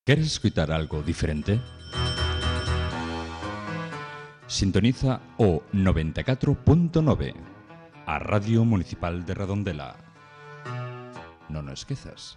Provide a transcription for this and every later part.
¿Queres escutar algo diferente? Sintoniza o 94.9, a Radio Municipal de Redondela. Non o esquezas.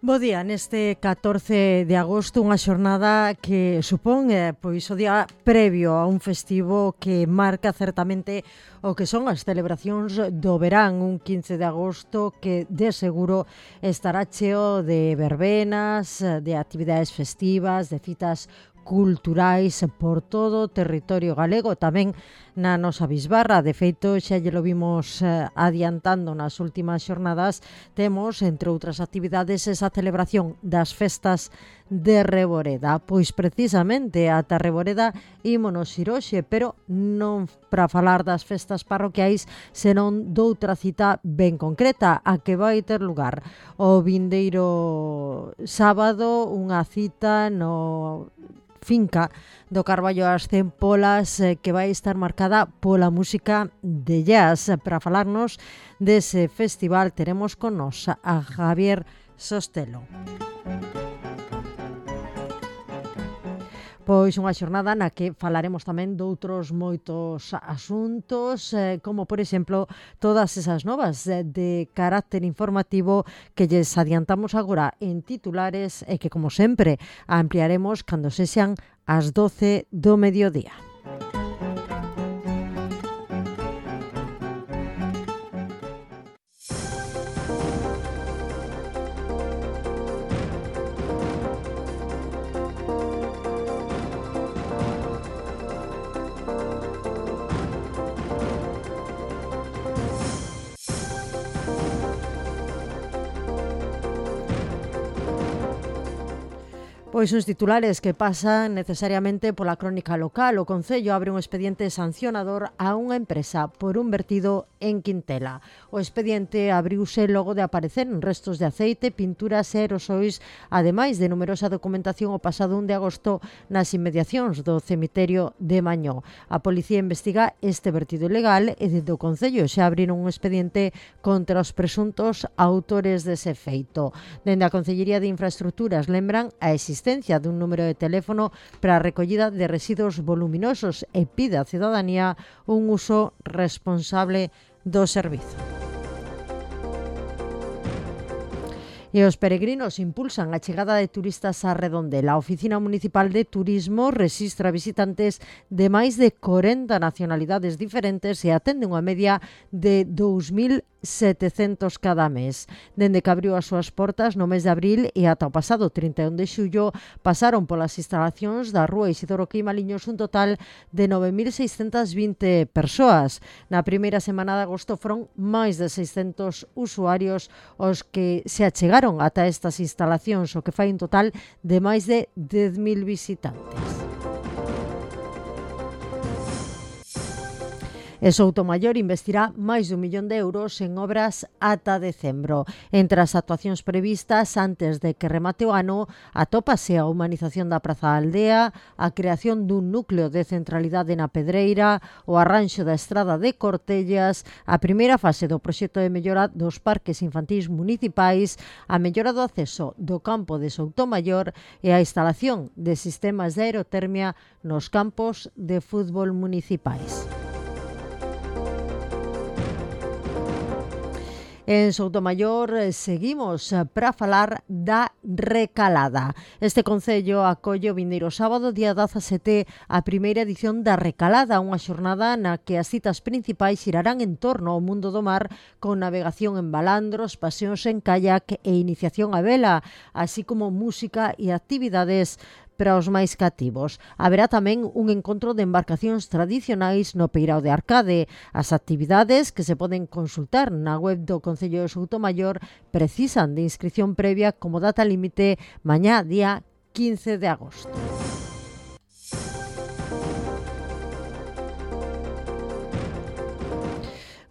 Bo día, neste 14 de agosto, unha xornada que supón pois o día previo a un festivo que marca certamente o que son as celebracións do verán, un 15 de agosto que de seguro estará cheo de verbenas, de actividades festivas, de citas culturais por todo o territorio galego, tamén na nosa bisbarra. De feito, xa lle lo vimos adiantando nas últimas xornadas, temos, entre outras actividades, esa celebración das festas de Reboreda. Pois precisamente ata Reboreda ímonos ir hoxe, pero non para falar das festas parroquiais, senón doutra cita ben concreta, a que vai ter lugar o vindeiro sábado, unha cita no finca do Carballo ás Tempolas que vai estar marcada pola música de jazz. Para falarnos dese festival teremos con nos a Javier Sostelo. Pois unha xornada na que falaremos tamén doutros moitos asuntos, como por exemplo todas esas novas de carácter informativo que lles adiantamos agora en titulares e que, como sempre, ampliaremos cando sexan as 12 do mediodía. Pois uns titulares que pasan necesariamente pola crónica local. O Concello abre un expediente sancionador a unha empresa por un vertido en Quintela. O expediente abriuse logo de aparecer en restos de aceite, pinturas e aerosois, ademais de numerosa documentación o pasado 1 de agosto nas inmediacións do cemiterio de Mañó. A policía investiga este vertido ilegal e desde o Concello xa abriron un expediente contra os presuntos autores dese feito. Dende a Concellería de Infraestructuras lembran a existencia dun número de teléfono para a recollida de residuos voluminosos e pide á cidadanía un uso responsable do servizo. E os peregrinos impulsan a chegada de turistas a Redondela. A Oficina Municipal de Turismo rexistra visitantes de máis de 40 nacionalidades diferentes e atende unha media de 2.700 cada mes. Dende que abriu as súas portas no mes de abril e ata o pasado 31 de xullo pasaron polas instalacións da Rúa Isidoro Queimaliños un total de 9.620 persoas. Na primeira semana de agosto foron máis de 600 usuarios os que se achegaron ata estas instalacións, o que fai un total de máis de 10.000 visitantes. E Soutomaior investirá máis de 1 millón de euros en obras ata decembro. Entre as actuacións previstas antes de que remate o ano, atópase a humanización da Praza da Aldea, a creación dun núcleo de centralidade na Pedreira, o arranxo da estrada de Cortellas, a primeira fase do proxecto de mellora dos parques infantís municipais, a mellora do acceso do campo de Soutomaior e a instalación de sistemas de aerotermia nos campos de fútbol municipais. En Soutomaior seguimos para falar da Recalada. Este concello acolle o vindeiro sábado, día 17, a primeira edición da Recalada, unha xornada na que as citas principais xirarán en torno ao mundo do mar con navegación en balandros, paseos en kayak e iniciación á vela, así como música e actividades para os máis cativos. Haberá tamén un encontro de embarcacións tradicionais no Peirao de Arcade. As actividades que se poden consultar na web do Concello de Soutomaior precisan de inscripción previa como data límite mañá día 15 de agosto.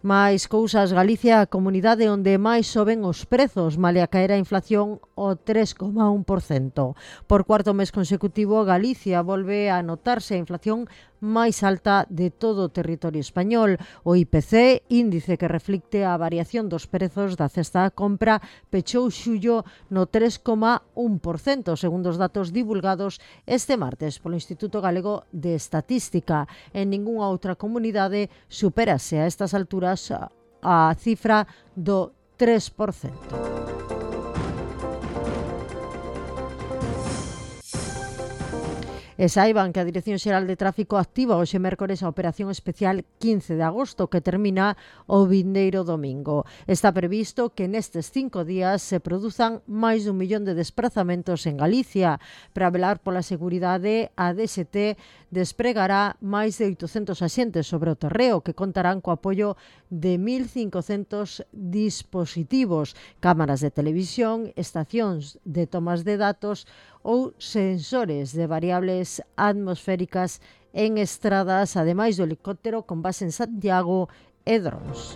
Máis cousas, Galicia a comunidade onde máis soben os prezos, malia caer a inflación o 3,1%. Por cuarto mes consecutivo, Galicia volve a notarse a inflación máis alta de todo o territorio español. O IPC, índice que reflicte a variación dos prezos da cesta da compra, pechou xullo no 3,1%, segundo os datos divulgados este martes polo Instituto Galego de Estatística. En ningunha outra comunidade supérase a estas alturas a cifra do 3%. E saiban que a Dirección Xeral de Tráfico activa hoxe mércores a Operación Especial 15 de agosto, que termina o vindeiro domingo. Está previsto que nestes 5 días se produzan máis dun millón de desplazamentos en Galicia. Para velar pola seguridade, a DST despregará máis de 800 axentes sobre o terreo, que contarán co apoio de 1.500 dispositivos, cámaras de televisión, estacións de tomas de datos ou sensores de variables atmosféricas en estradas, ademais do helicóptero con base en Santiago e drons.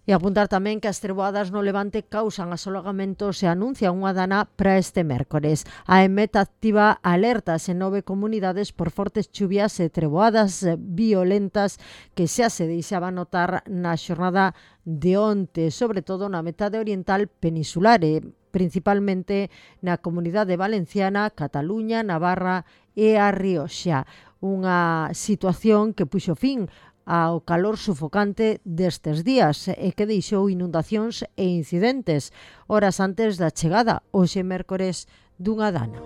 E apuntar tamén que as treboadas no Levante causan asolagamentos e anuncian unha dana para este mércores. A EMET activa alertas en 9 comunidades por fortes chuvias e treboadas violentas que xa se deixaba notar na xornada de onte, sobre todo na metade oriental peninsular e principalmente na Comunidade Valenciana, Cataluña, Navarra e a Rioxa. Unha situación que puxo fin ao calor sufocante destes días e que deixou inundacións e incidentes horas antes da chegada, hoxe mércores, dunha dana.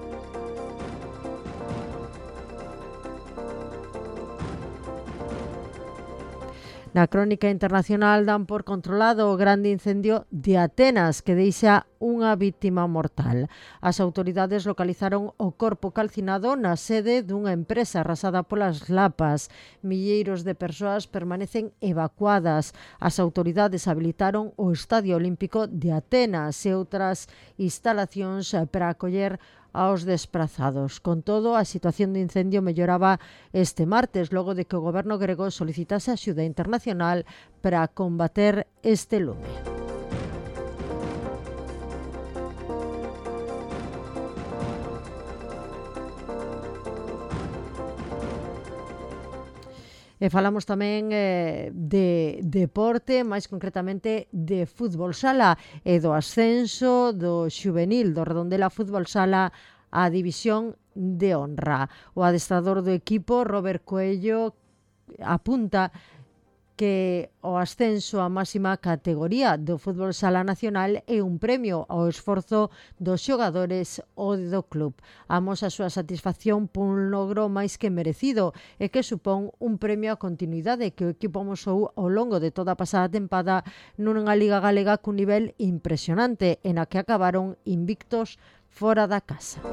Na crónica internacional dan por controlado o grande incendio de Atenas que deixa unha vítima mortal. As autoridades localizaron o corpo calcinado na sede dunha empresa arrasada polas lapas. Milleiros de persoas permanecen evacuadas. As autoridades habilitaron o Estadio Olímpico de Atenas e outras instalacións para acoller aos desprazados. Con todo, a situación de incendio melloraba este martes, logo de que o goberno grego solicitase axuda internacional para combater este lume. E falamos tamén de deporte, máis concretamente de fútbol sala e do ascenso do xuvenil do Redondela Fútbol Sala á división de honra. O adestrador do equipo, Robert Coello, apunta que o ascenso á máxima categoría do fútbol sala nacional é un premio ao esforzo dos xogadores ou do club. Amosa a súa satisfacción por un logro máis que merecido e que supón un premio á continuidade que o equipo amosou ao longo de toda a pasada tempada nunha liga galega cun nivel impresionante e na que acabaron invictos fora da casa.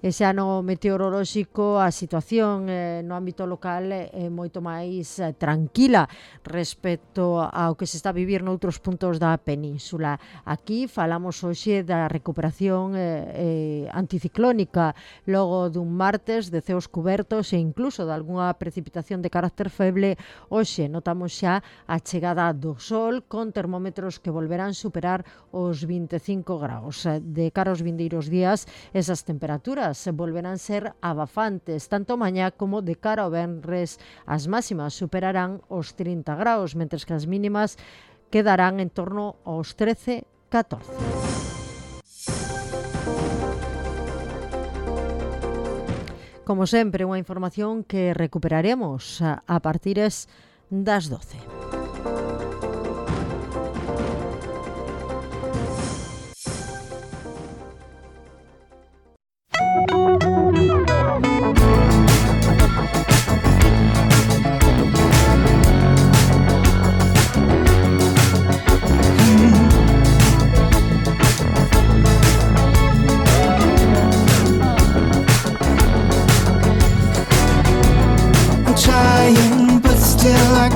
E xa no meteorolóxico a situación no ámbito local é moito máis tranquila respecto ao que se está a vivir noutros puntos da península. Aquí falamos hoxe da recuperación anticiclónica logo dun martes de ceos cubertos e incluso de algunha precipitación de carácter feble. Hoxe notamos xa a chegada do sol con termómetros que volverán superar os 25 graus. De cara aos vindeiros días, esas temperaturas volverán ser abafantes, tanto mañá como de cara ao venres. As máximas superarán os 30 graus, mentres que as mínimas quedarán en torno aos 13-14. Como sempre, unha información que recuperaremos a partir das 12.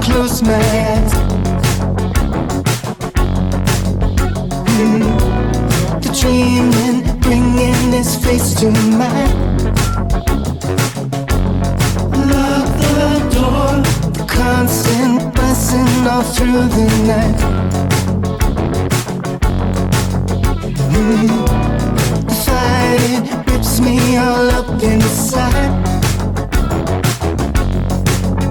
Close my eyes. The dreaming, bringing his face to mine. Lock the door, the constant buzzing all through the night. The fight, it rips me all up inside.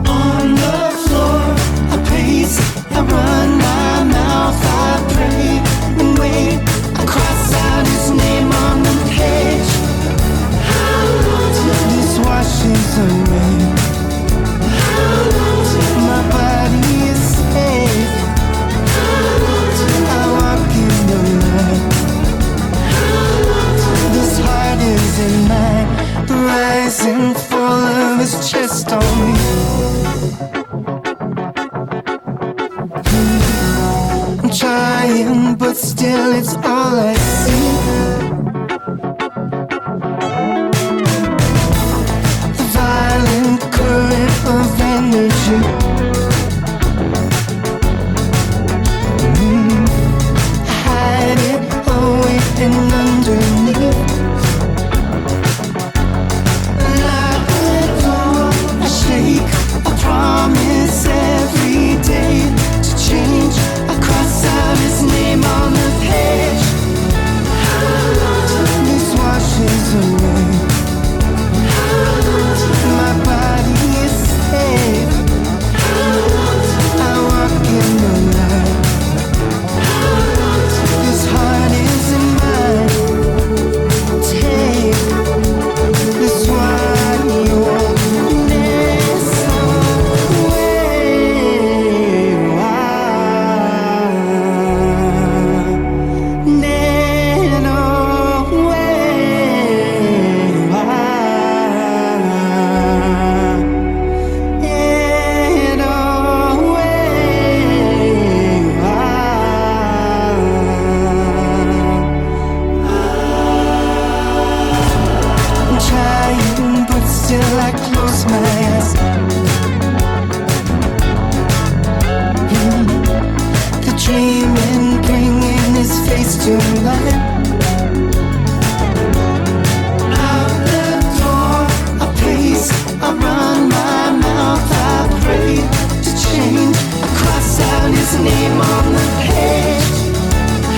On the floor, I pace, I run my mouth, I pray and wait. I cross out his name on the page. How long till this washes away? How long till my body is safe? How long till I walk in the light? How long till this heart is in mine? The rising fall of his chest on me. I'm trying, but still it's all I see. The violent current of energy. I hide it away and underneath. Lock the door, I shake, I promise every day to change. I cross out his name on the page. How long till this washes away? How long till my body is safe? How long till I walk in the light? How long till this heart is in mine? Take this one, your mess I'm trying, but still I close my eyes. The dreaming, bringing his face to life. Out the door, I pace, I run my mouth, I pray to change. I cross out his name on the page.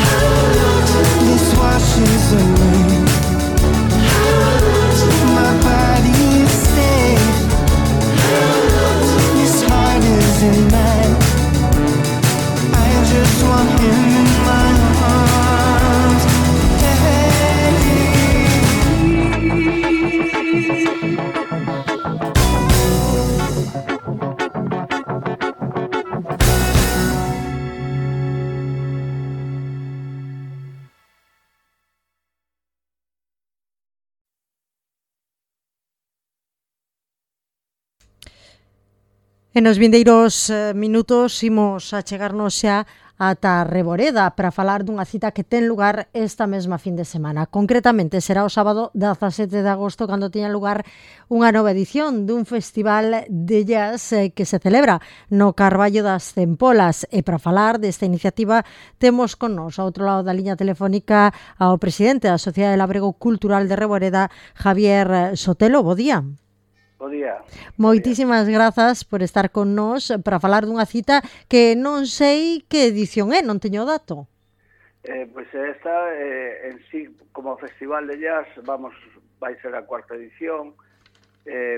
How long till this washes away? My body is safe. His heart is in mine. I just want him in my arms. En os vindeiros minutos imos a chegarnos xa ata Reboreda para falar dunha cita que ten lugar esta mesma fin de semana. Concretamente será o sábado 17 de agosto cando teña lugar unha nova edición dun festival de jazz que se celebra no Carballo das Tempolas. E para falar desta iniciativa temos con nos ao outro lado da liña telefónica ao presidente da Sociedade de Labrego Cultural de Reboreda, Javier Sotelo. Bo día. Bo día. Moitísimas grazas por estar con nós para falar dunha cita que non sei que edición é, non teño o dato. Pois esta, en sí, como festival de jazz, vai ser a cuarta edición,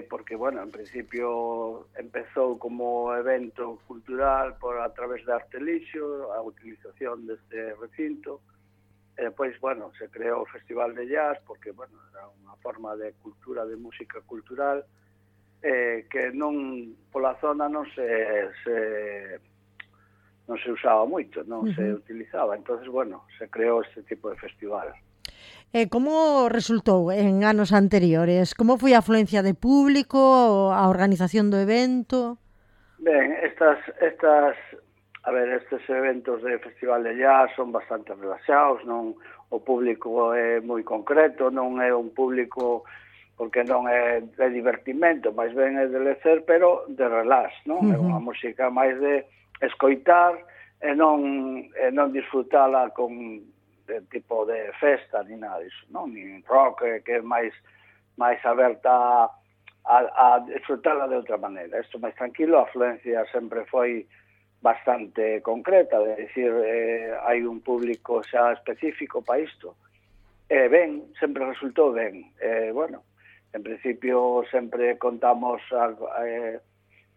porque, bueno, en principio empezou como evento cultural a través de Artelixo, a utilización deste recinto, e depois, bueno, se creou o Festival de Jazz, porque, bueno, era unha forma de cultura, de música cultural, que non pola zona non se usaba moito, non se utilizaba. Entonces, bueno, se creou este tipo de festival. Como resultou en anos anteriores? Como foi a afluencia de público, a organización do evento? Ben, estes eventos de festival de jazz son bastante relaxados, non, o público é moi concreto, non é un público porque non é de divertimento, máis ben é de lecer, pero de relax, non? É unha música máis de escoitar e non disfrutala con de tipo de festa ni nada disso, non? Ni rock, que é máis aberta a disfrutarla de outra maneira. Isto máis tranquilo, a afluencia sempre foi bastante concreta, de decir, hai un público xa específico para isto. Ben, sempre resultou ben. Bueno, en principio sempre contamos,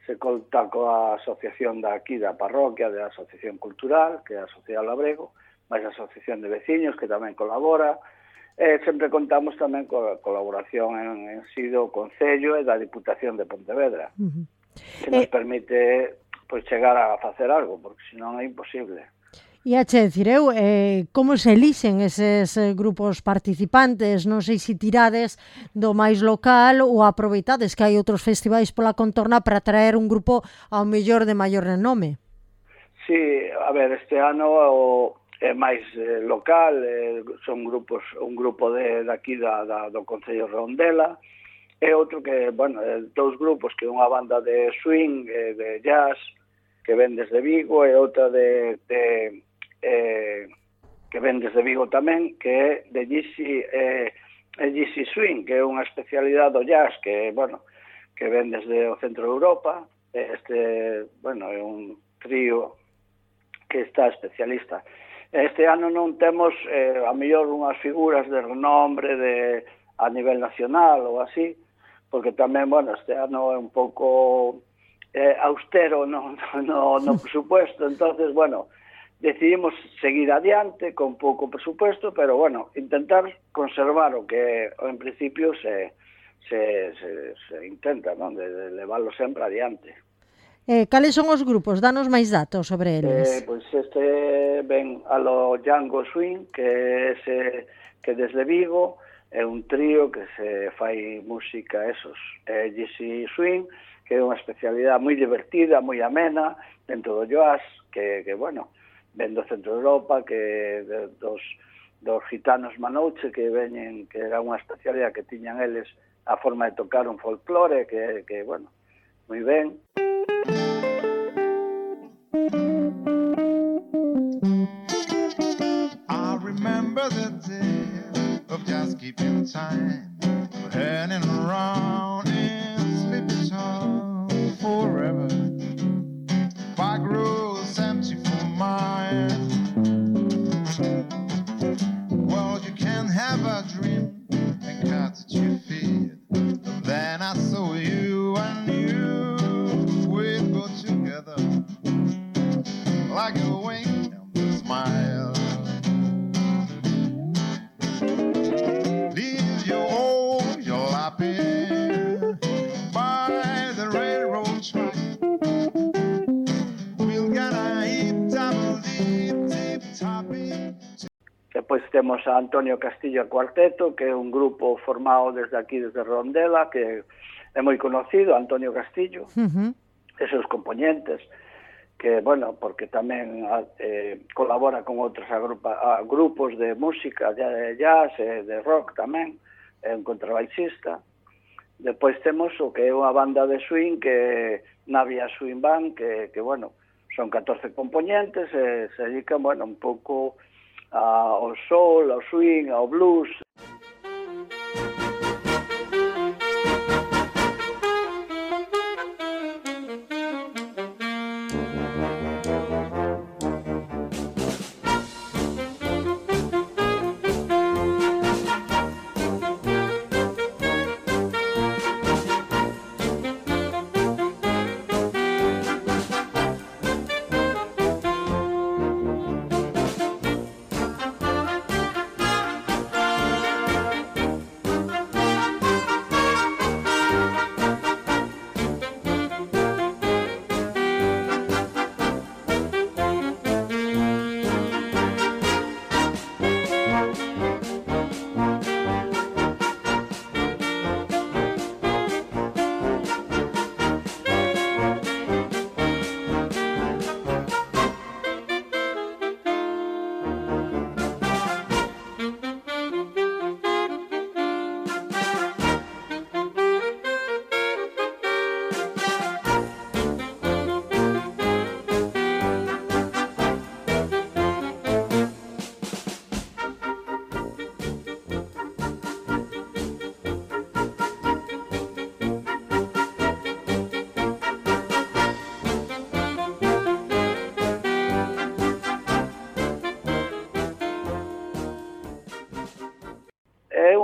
se conta coa asociación aquí da parroquia, da asociación cultural, que é a Sociedade Labrego, máis a asociación de veciños, que tamén colabora. Sempre contamos tamén coa colaboración en si do Concello e da Diputación de Pontevedra, que nos permite pois chegar a facer algo, porque senón é imposible. E a che dicir eu, como se elixen eses grupos participantes? Non sei se tirades do máis local ou aproveitades que hai outros festivais pola contorna para traer un grupo ao mellor de maior renome. Sí, a ver, este ano é máis local, son grupos, un grupo de aquí do Concello de Redondela, e outro que, bueno, dous grupos, que é unha banda de swing, de jazz, que ven desde Vigo, e outra que ven desde Vigo tamén, que é de GC Swing, que é unha especialidade do jazz, que, bueno, que ven desde o centro de Europa. Bueno, é un trío que está especialista. Este ano non temos, a mellor, unhas figuras de renombre a nivel nacional ou así, porque tamén, bueno, este ano é un pouco austero no presupuesto, entonces, bueno, decidimos seguir adiante con pouco presupuesto, pero, bueno, intentar conservar o que en principio se intenta, non? De levarlo sempre adiante. Cales son os grupos? Danos máis datos sobre eles. Pois este ven a lo Django Swing, que desde Vigo é un trío que se fai música, GC Swing, que é unha especialidade moi divertida, moi amena, dentro do jazz, que bueno, ven do centro de Europa, que dos gitanos Manouche, que veñen, que era unha especialidade que tiñan eles, a forma de tocar un folclore, que bueno, moi ben. I remember the day of just keeping time, hanging around in Sleepy Town forever. Back rows empty for mine. Well, you can have a dream and cut at your feet. Then I saw you and you, we'd go together like a wing and a smile. Leave your home, you're laughing by the railroad track. We'll get a tip-top-tapping. Depois temos a Antonio Castillo Cuarteto, que é un grupo formado desde aquí, desde Redondela, que é moi conocido, Antonio Castillo, e seus componentes, que, bueno, porque tamén colabora con outros grupos de música, de jazz, de rock tamén, é un contrabaixista. Depois temos o que é unha banda de swing, que é Navia Swing Band, que bueno, son 14 componentes, e se dedican, bueno, un pouco ao soul, ao swing, ao blues.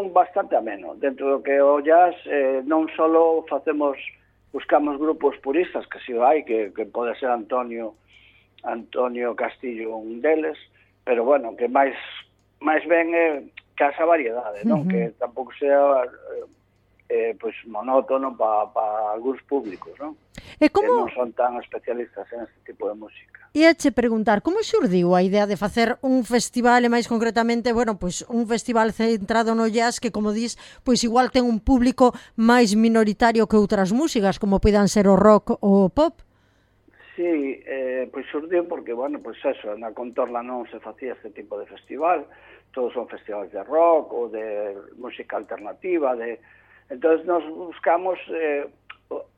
son bastante ameno. Dentro do que o jazz, non só buscamos grupos puristas, que si hai, que pode ser Antonio Castillo un deles, pero bueno, que máis ben é que esa variedade, non? Que tampouco sea pois monótono para algúns públicos, non? E Que non son tan especialistas en este tipo de música. E che preguntar, como xurdiu a idea de facer un festival, e máis concretamente, bueno, pois un festival centrado no jazz que, como dis, pois igual ten un público máis minoritario que outras músicas, como poidan ser o rock ou o pop? Sí, pois xurdiu porque, bueno, pois eso, na Contorla non se facía este tipo de festival, todos son festivales de rock ou de música alternativa, entonces nos buscamos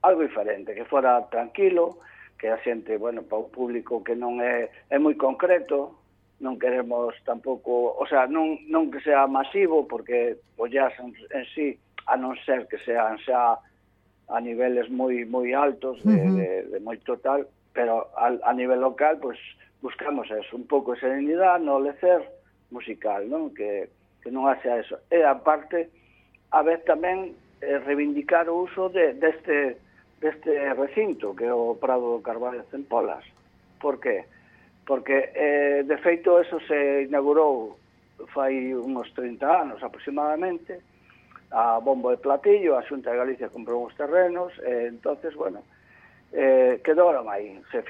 algo diferente, que fora tranquilo, que a xente, bueno, para o público que non é moi concreto, non queremos tampouco, o sea, non que sea masivo, porque o jazz en sí, a non ser que sean xa a niveles moi altos de moito tal, pero a nivel local, pues buscamos eso, un pouco de serenidade, no lecer musical, non? Que non haxa eso. E aparte, a vez tamén reivindicar o uso deste recinto, que é o Prado do Carballo de Centpolas. Por qué? Porque, de feito, eso se inaugurou fai uns 30 anos aproximadamente, a bombo de platillo, a Xunta de Galicia comprou uns terrenos, entonces, bueno, quedou aí. Se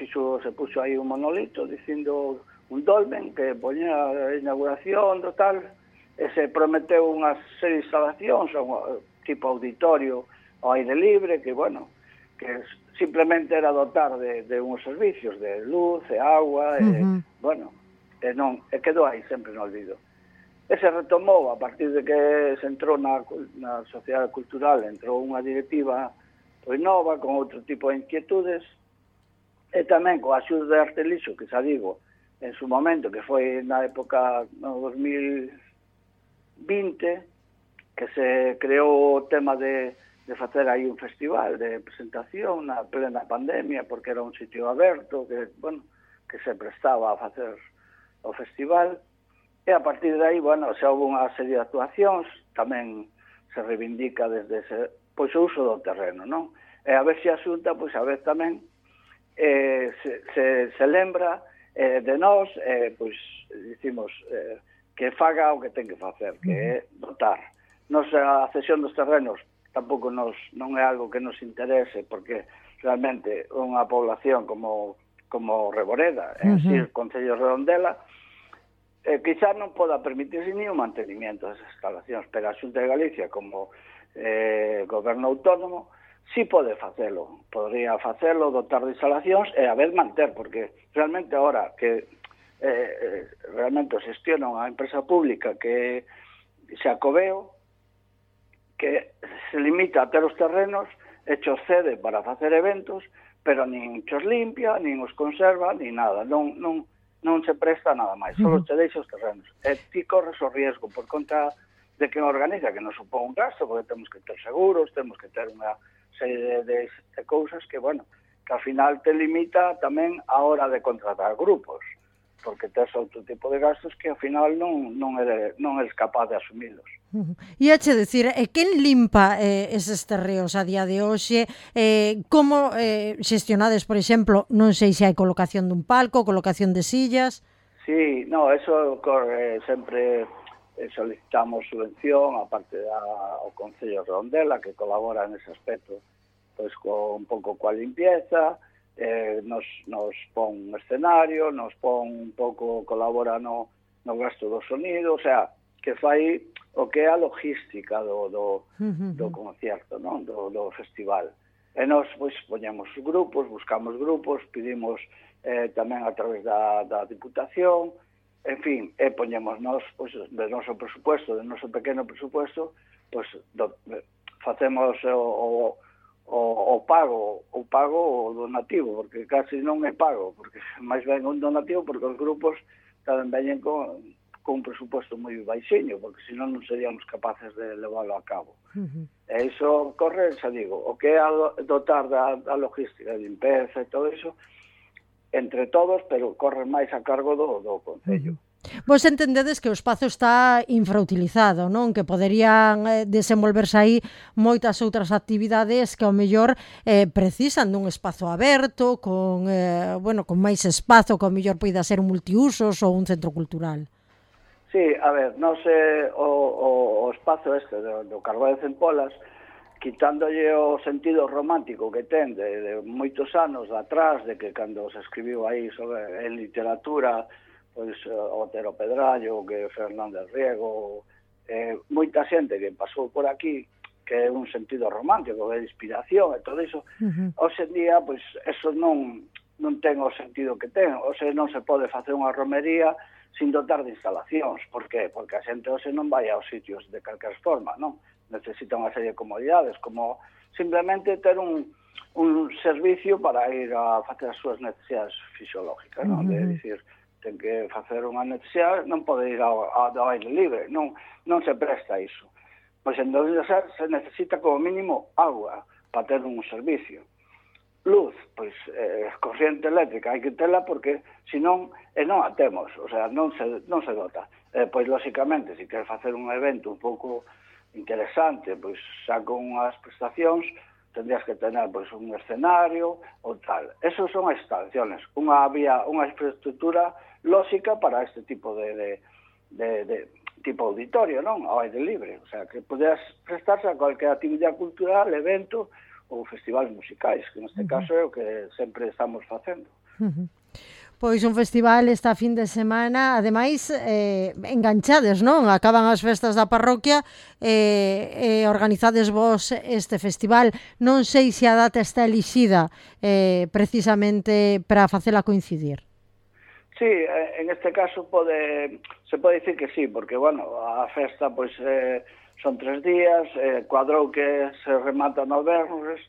puxo aí un monolito dicindo un dolmen que poñía a inauguración do tal, e se prometeu unha serie de instalacións, tipo auditorio ao aire libre, que, bueno, que simplemente era dotar de uns servicios de luz e agua, bueno, e quedou aí sempre no olvido. E se retomou a partir de que se entrou na sociedade cultural, entrou unha directiva pois nova, con outro tipo de inquietudes, e tamén coa axuda de Artelixo, que xa digo, en su momento, que foi na época no 2020, que se creou o tema de facer aí un festival de presentación na plena pandemia, porque era un sitio aberto, que, bueno, que se prestaba a facer o festival, e a partir de aí, bueno, xa houve unha serie de actuacións, tamén se reivindica desde ese, pois o uso do terreno, non? E a ver se a Xunta, pois a vez tamén se lembra de nós, pois dicimos que faga o que ten que facer, que é dotar. Nos a cesión dos terrenos tampouco non é algo que nos interese, porque realmente unha población como Reboreda, en si, o Concello de Redondela, quizá non poda permitirse ni o mantenimiento das instalacións, pero a Xunta de Galicia, como goberno autónomo, sí pode facelo, podría facelo, dotar de instalacións e a vez manter, porque realmente ahora que realmente o xestiona unha empresa pública que se acobeo, que se limita a ter os terrenos e chos cede para facer eventos, pero nin chos limpia, nin os conserva, nin nada, non se presta nada máis, só te deixa os terrenos. E ti corres o riesgo por conta de que organiza, que non supón un gasto, porque temos que ter seguros, temos que ter unha serie de cousas que, bueno, que ao final te limita tamén a hora de contratar grupos, porque tes outro tipo de gastos que ao final non eres capaz de asumilos. E ache decir, quen limpa eses terreos a día de hoxe? Como xestionades, por exemplo, non sei se hai colocación dun palco, colocación de sillas? Sí, no, eso ocorre sempre, solicitamos subvención, aparte ao Concello de Redondela, que colabora nese aspecto, pois un pouco coa limpieza, nos pon un escenario, nos pon un pouco, colabora no gasto do sonido, o sea, que fai o que é a logística do concerto, non? Do festival. E nos, pois, poñemos grupos, buscamos grupos, pedimos tamén a través da Diputación, en fin, poñemos nos, pois, do noso presupuesto, do noso pequeno presupuesto, pois, facemos o pago o donativo, porque casi non é pago, porque máis ben un donativo, porque os grupos tamén veñen con un presupuesto moi baixiño, porque senón non seríamos capaces de leválo a cabo. E iso corre, xa digo, o que é dotar da logística, de limpeza e todo iso, entre todos, pero corre máis a cargo do Concello. Vos entendedes que o espazo está infrautilizado, non? Que poderían desenvolverse aí moitas outras actividades que ao mellor precisan dun espazo aberto, con máis espazo, que ao mellor poida ser un multiusos ou un centro cultural. Sí, a ver, non sei o espazo este do Carbó de Centpolas, quitándolle o sentido romántico que ten de moitos anos atrás, de que cando se escribiu aí sobre en literatura, pois Otero Pedrallo, que Fernández Riego, moita xente que pasou por aquí, que é un sentido romántico, de inspiración e todo iso, hoxe en día, pois, eso non ten o sentido que ten, hoxe non se pode facer unha romería sin dotar de instalacións. Por qué? Porque a xente hoxe non vai aos sitios de calquer forma, non? Necesita unha serie de comodidades, como simplemente ter un servicio para ir a facer as súas necesidades fisiológicas, non? De dicir, ten que facer unha necesidade, non pode ir ao aire libre, non se presta iso. Pois entón se necesita como mínimo agua para ter un servicio. Luz, pois corriente eléctrica hai que tela porque senón non a temos, o sea, non se dota. Pois lóxicamente, se queres facer un evento un pouco interesante, pois xa con unhas prestacións, tendrías que tener pois un escenario ou tal. Esos son as instalaciones, unha infraestructura lóxica para este tipo de tipo auditorio, non? Ao aire libre, o sea, que poderas prestarse a cualquier actividade cultural, evento ou festivales musicais, que neste caso é o que sempre estamos facendo. Pois un festival esta fin de semana, ademais, enganchades, non? Acaban as festas da parroquia e organizades vos este festival. Non sei se a data está elixida precisamente para facela coincidir. Sí, en este caso se pode dicir que sí, porque, bueno, a festa, pois, son 3 días, cuadrou que se remata no vernos,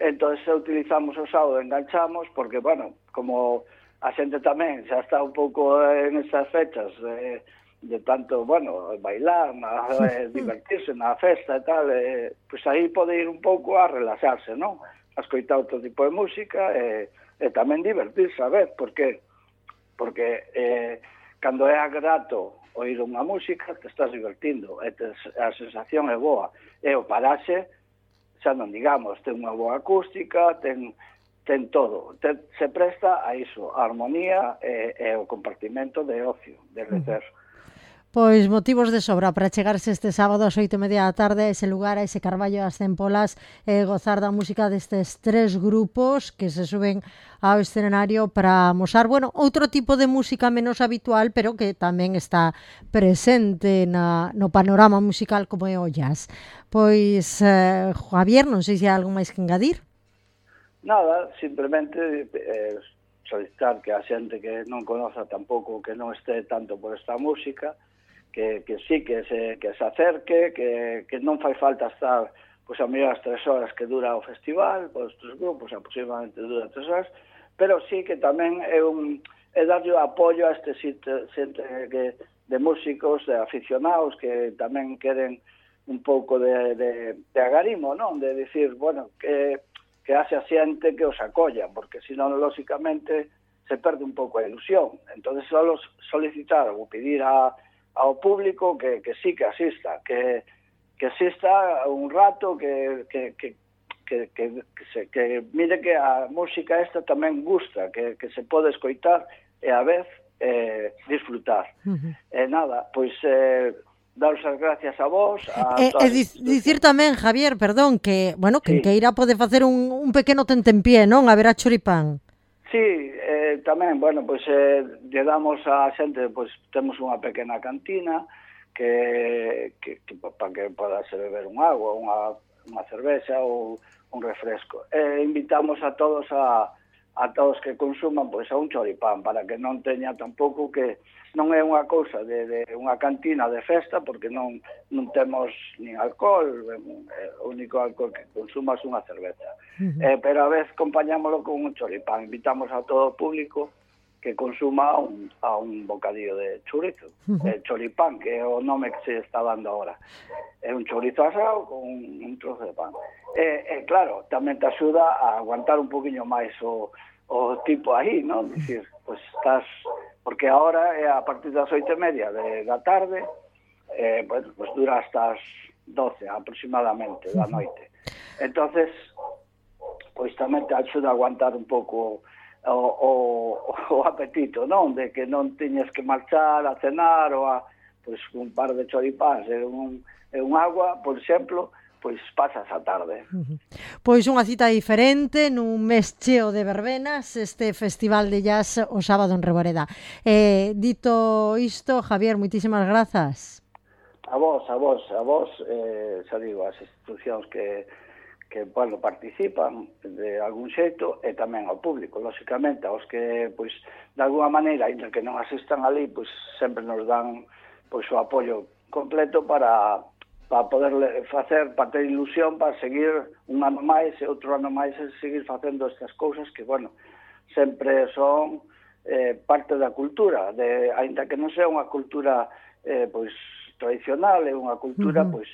entón utilizamos o sábado, enganchamos, porque, bueno, como a xente tamén xa está un pouco en estas fechas de tanto, bueno, bailar, divertirse na festa e tal, pois aí pode ir un pouco a relaxarse, non? A escoitar outro tipo de música e tamén divertirse, a ver, porque cando é grato oír unha música, te estás divertindo, e a sensación é boa. E o paraxe, xa non digamos, ten unha boa acústica, ten todo. Se presta a iso, a armonía e o compartimento de ocio, de lecer. Pois motivos de sobra para chegarse este sábado ás 8:30 da tarde a ese lugar, a ese Carballo das Centpolas, e gozar da música destes 3 grupos que se suben ao escenario para amosar, outro tipo de música menos habitual, pero que tamén está presente no panorama musical como é o jazz. Pois, Javier, non sei se hai algo máis que engadir. Nada, simplemente solicitar que a xente que non conoza tampouco, que non este tanto por esta música, que sí, que se acerque, que non fai falta estar pois a mellor as 3 horas que dura o festival, pois os 3 grupos aproximadamente dura 3 horas, pero sí que tamén é darlle apoio a este xente de músicos, de aficionados que tamén queren un pouco de agarimo, non? De dicir, bueno, que haxe a xente que os acolla, porque senón, lóxicamente, se perde un pouco a ilusión. Entón, só solicitar ou pedir ao público que sí que asista, que asista un rato, que mire que a música esta tamén gusta, que se pode escoitar e a vez disfrutar. E nada, pois daros as gracias a vos. Dicir tamén, Javier, perdón, que, quen queira pode facer un pequeno tentempié, non? A ver a choripán. Sí, tamén, pois lle damos a xente, pois temos unha pequena cantina que para que podase beber un agua, unha cervexa ou un refresco. Invitamos a todos que consuman pois a un choripán, para que non teña tampouco que non é unha cousa de unha cantina de festa, porque non temos nin alcohol, o único alcohol que consumas unha cerveza. Pero a vez acompañámoslo con un choripán. Invitamos a todo o público que consuma a un bocadillo de chorizo, choripán, que é o nome que se está dando ahora. É un chorizo asado con un trozo de pan. Claro, tamén te axuda a aguantar un poquinho máis o tipo aí, non? Dicir, pois estás porque ahora é a partir das 8:30 da tarde, bueno, pues dura hasta as 12 aproximadamente da noite. Entonces, pois tamén te axuda a aguantar un pouco o apetito, non? De que non teñas que marchar a cenar ou a, pois, un par de choripáns e un agua, por exemplo, pois pasas a tarde. Pois unha cita diferente nun mes cheo de verbenas, este Festival de Jazz o sábado en Reboreda. Dito isto, Javier, moitísimas grazas. A vos, xa digo, as institucións que bueno, participan de algún xeito e tamén ao público, lóxicamente, aos que, pois, de alguna maneira, ainda que non asistan ali, pois, sempre nos dan, pois, o apoio completo para poder facer, para ter ilusión, para seguir un ano máis e outro ano máis e seguir facendo estas cousas que, bueno, sempre son parte da cultura, ainda que non sea unha cultura, pois, tradicional, é unha cultura, pois,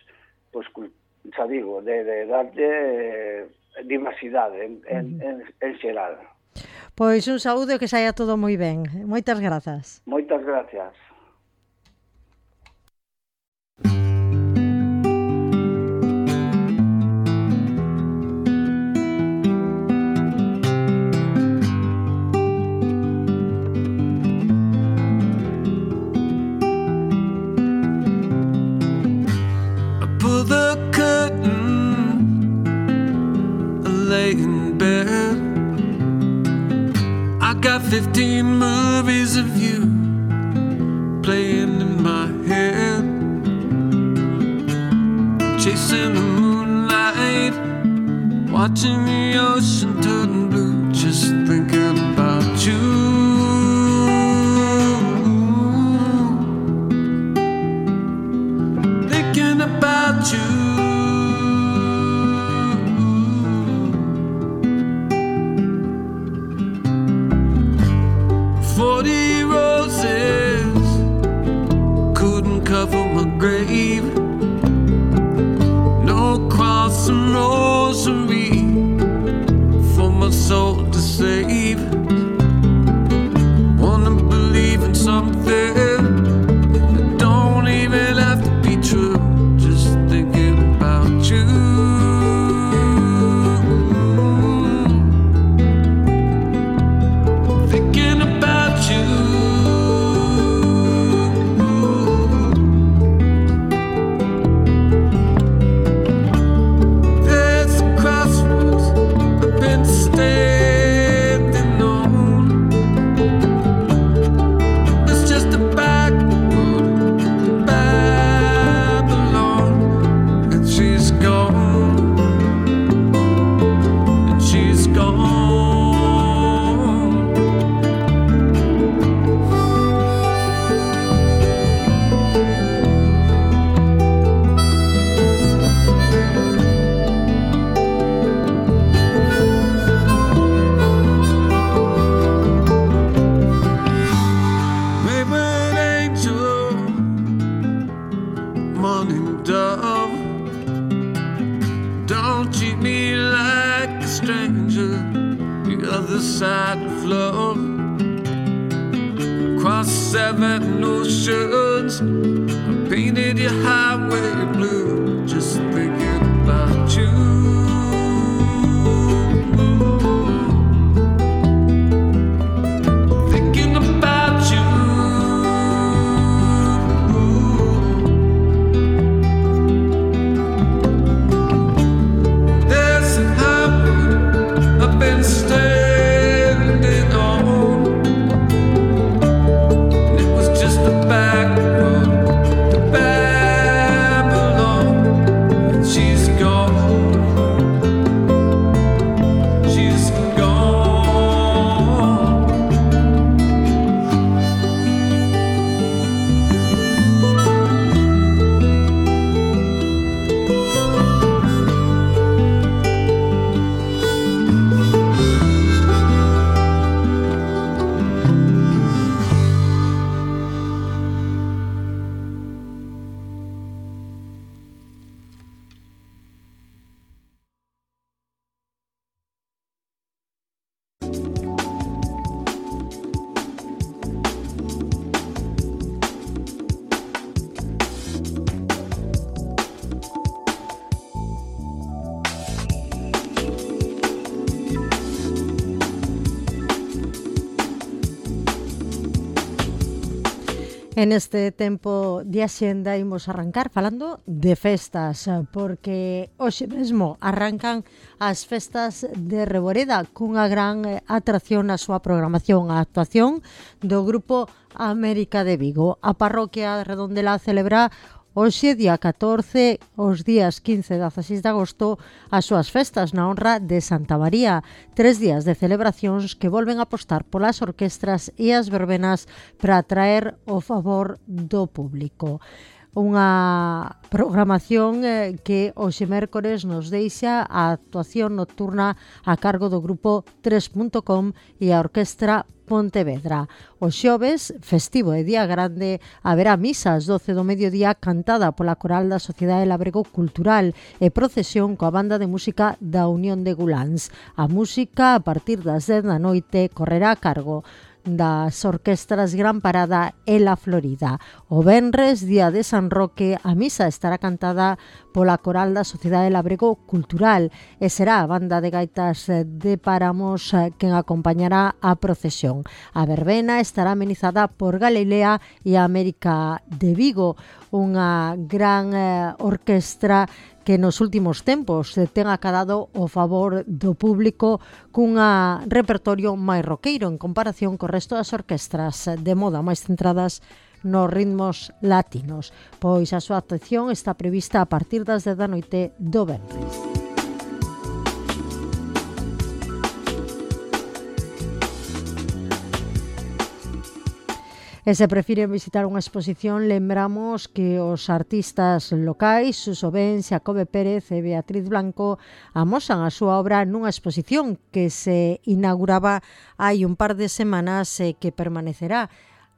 xa digo, de darlle diversidade en xeral. Pois un saúdo e que saia todo moi ben. Moitas grazas. Moitas gracias. In bed, I got 15 movies of you playing in my head, chasing the moonlight, watching the ocean turn blue, just thinking about you, thinking about you. 40 roses couldn't cover my grave, no cross and rosary for my soul to save. Wanna believe in something that don't even have to be true, just thinking about you. Thinking about you. There's a crossroads I've been standing on. It's just a back road to Babylon, and she's gone, and she's gone. Wayward angel, morning dove, don't treat me like a stranger, the other side of love. Across 7 oceans, I painted your highway blue, just thinking about you. Thinking about you. There's a highway I've been standing on, and it was just a back road to Babylon, En este tempo de axenda imos arrancar falando de festas, porque hoxe mesmo arrancan as festas de Reboreda cunha gran atracción na súa programación, a actuación do Grupo América de Vigo. A parroquia de Redondela celebra hoxe, día 14, os días 15 e 16 de agosto, as súas festas na honra de Santa María. 3 días de celebracións que volven a apostar polas orquestras e as verbenas para atraer o favor do público. Unha programación que hoxe mércores nos deixa a actuación nocturna a cargo do grupo 3.com e a orquestra Pontevedra. O xoves, festivo e día grande, haberá misa ás 12 do mediodía cantada pola coral da Sociedade Labrego Cultural e procesión coa banda de música da Unión de Guláns. A música, a partir das 10 da noite, correrá a cargo das orquestras Gran Parada e La Florida. O venres, día de San Roque, a misa estará cantada pola coral da Sociedade Labrego Cultural e será a banda de gaitas de Páramos quen acompañará a procesión. A verbena estará amenizada por Galilea e a América de Vigo, unha gran orquestra que nos últimos tempos ten acadado o favor do público cunha repertorio máis roqueiro en comparación co resto das orquestras de moda máis centradas nos ritmos latinos. Pois a súa actuación está prevista a partir das 10 da noite do venres. E se prefiren visitar unha exposición, lembramos que os artistas locais, Suso Ben, Xacobe Pérez e Beatriz Blanco amosan a súa obra nunha exposición que se inauguraba hai un par de semanas e que permanecerá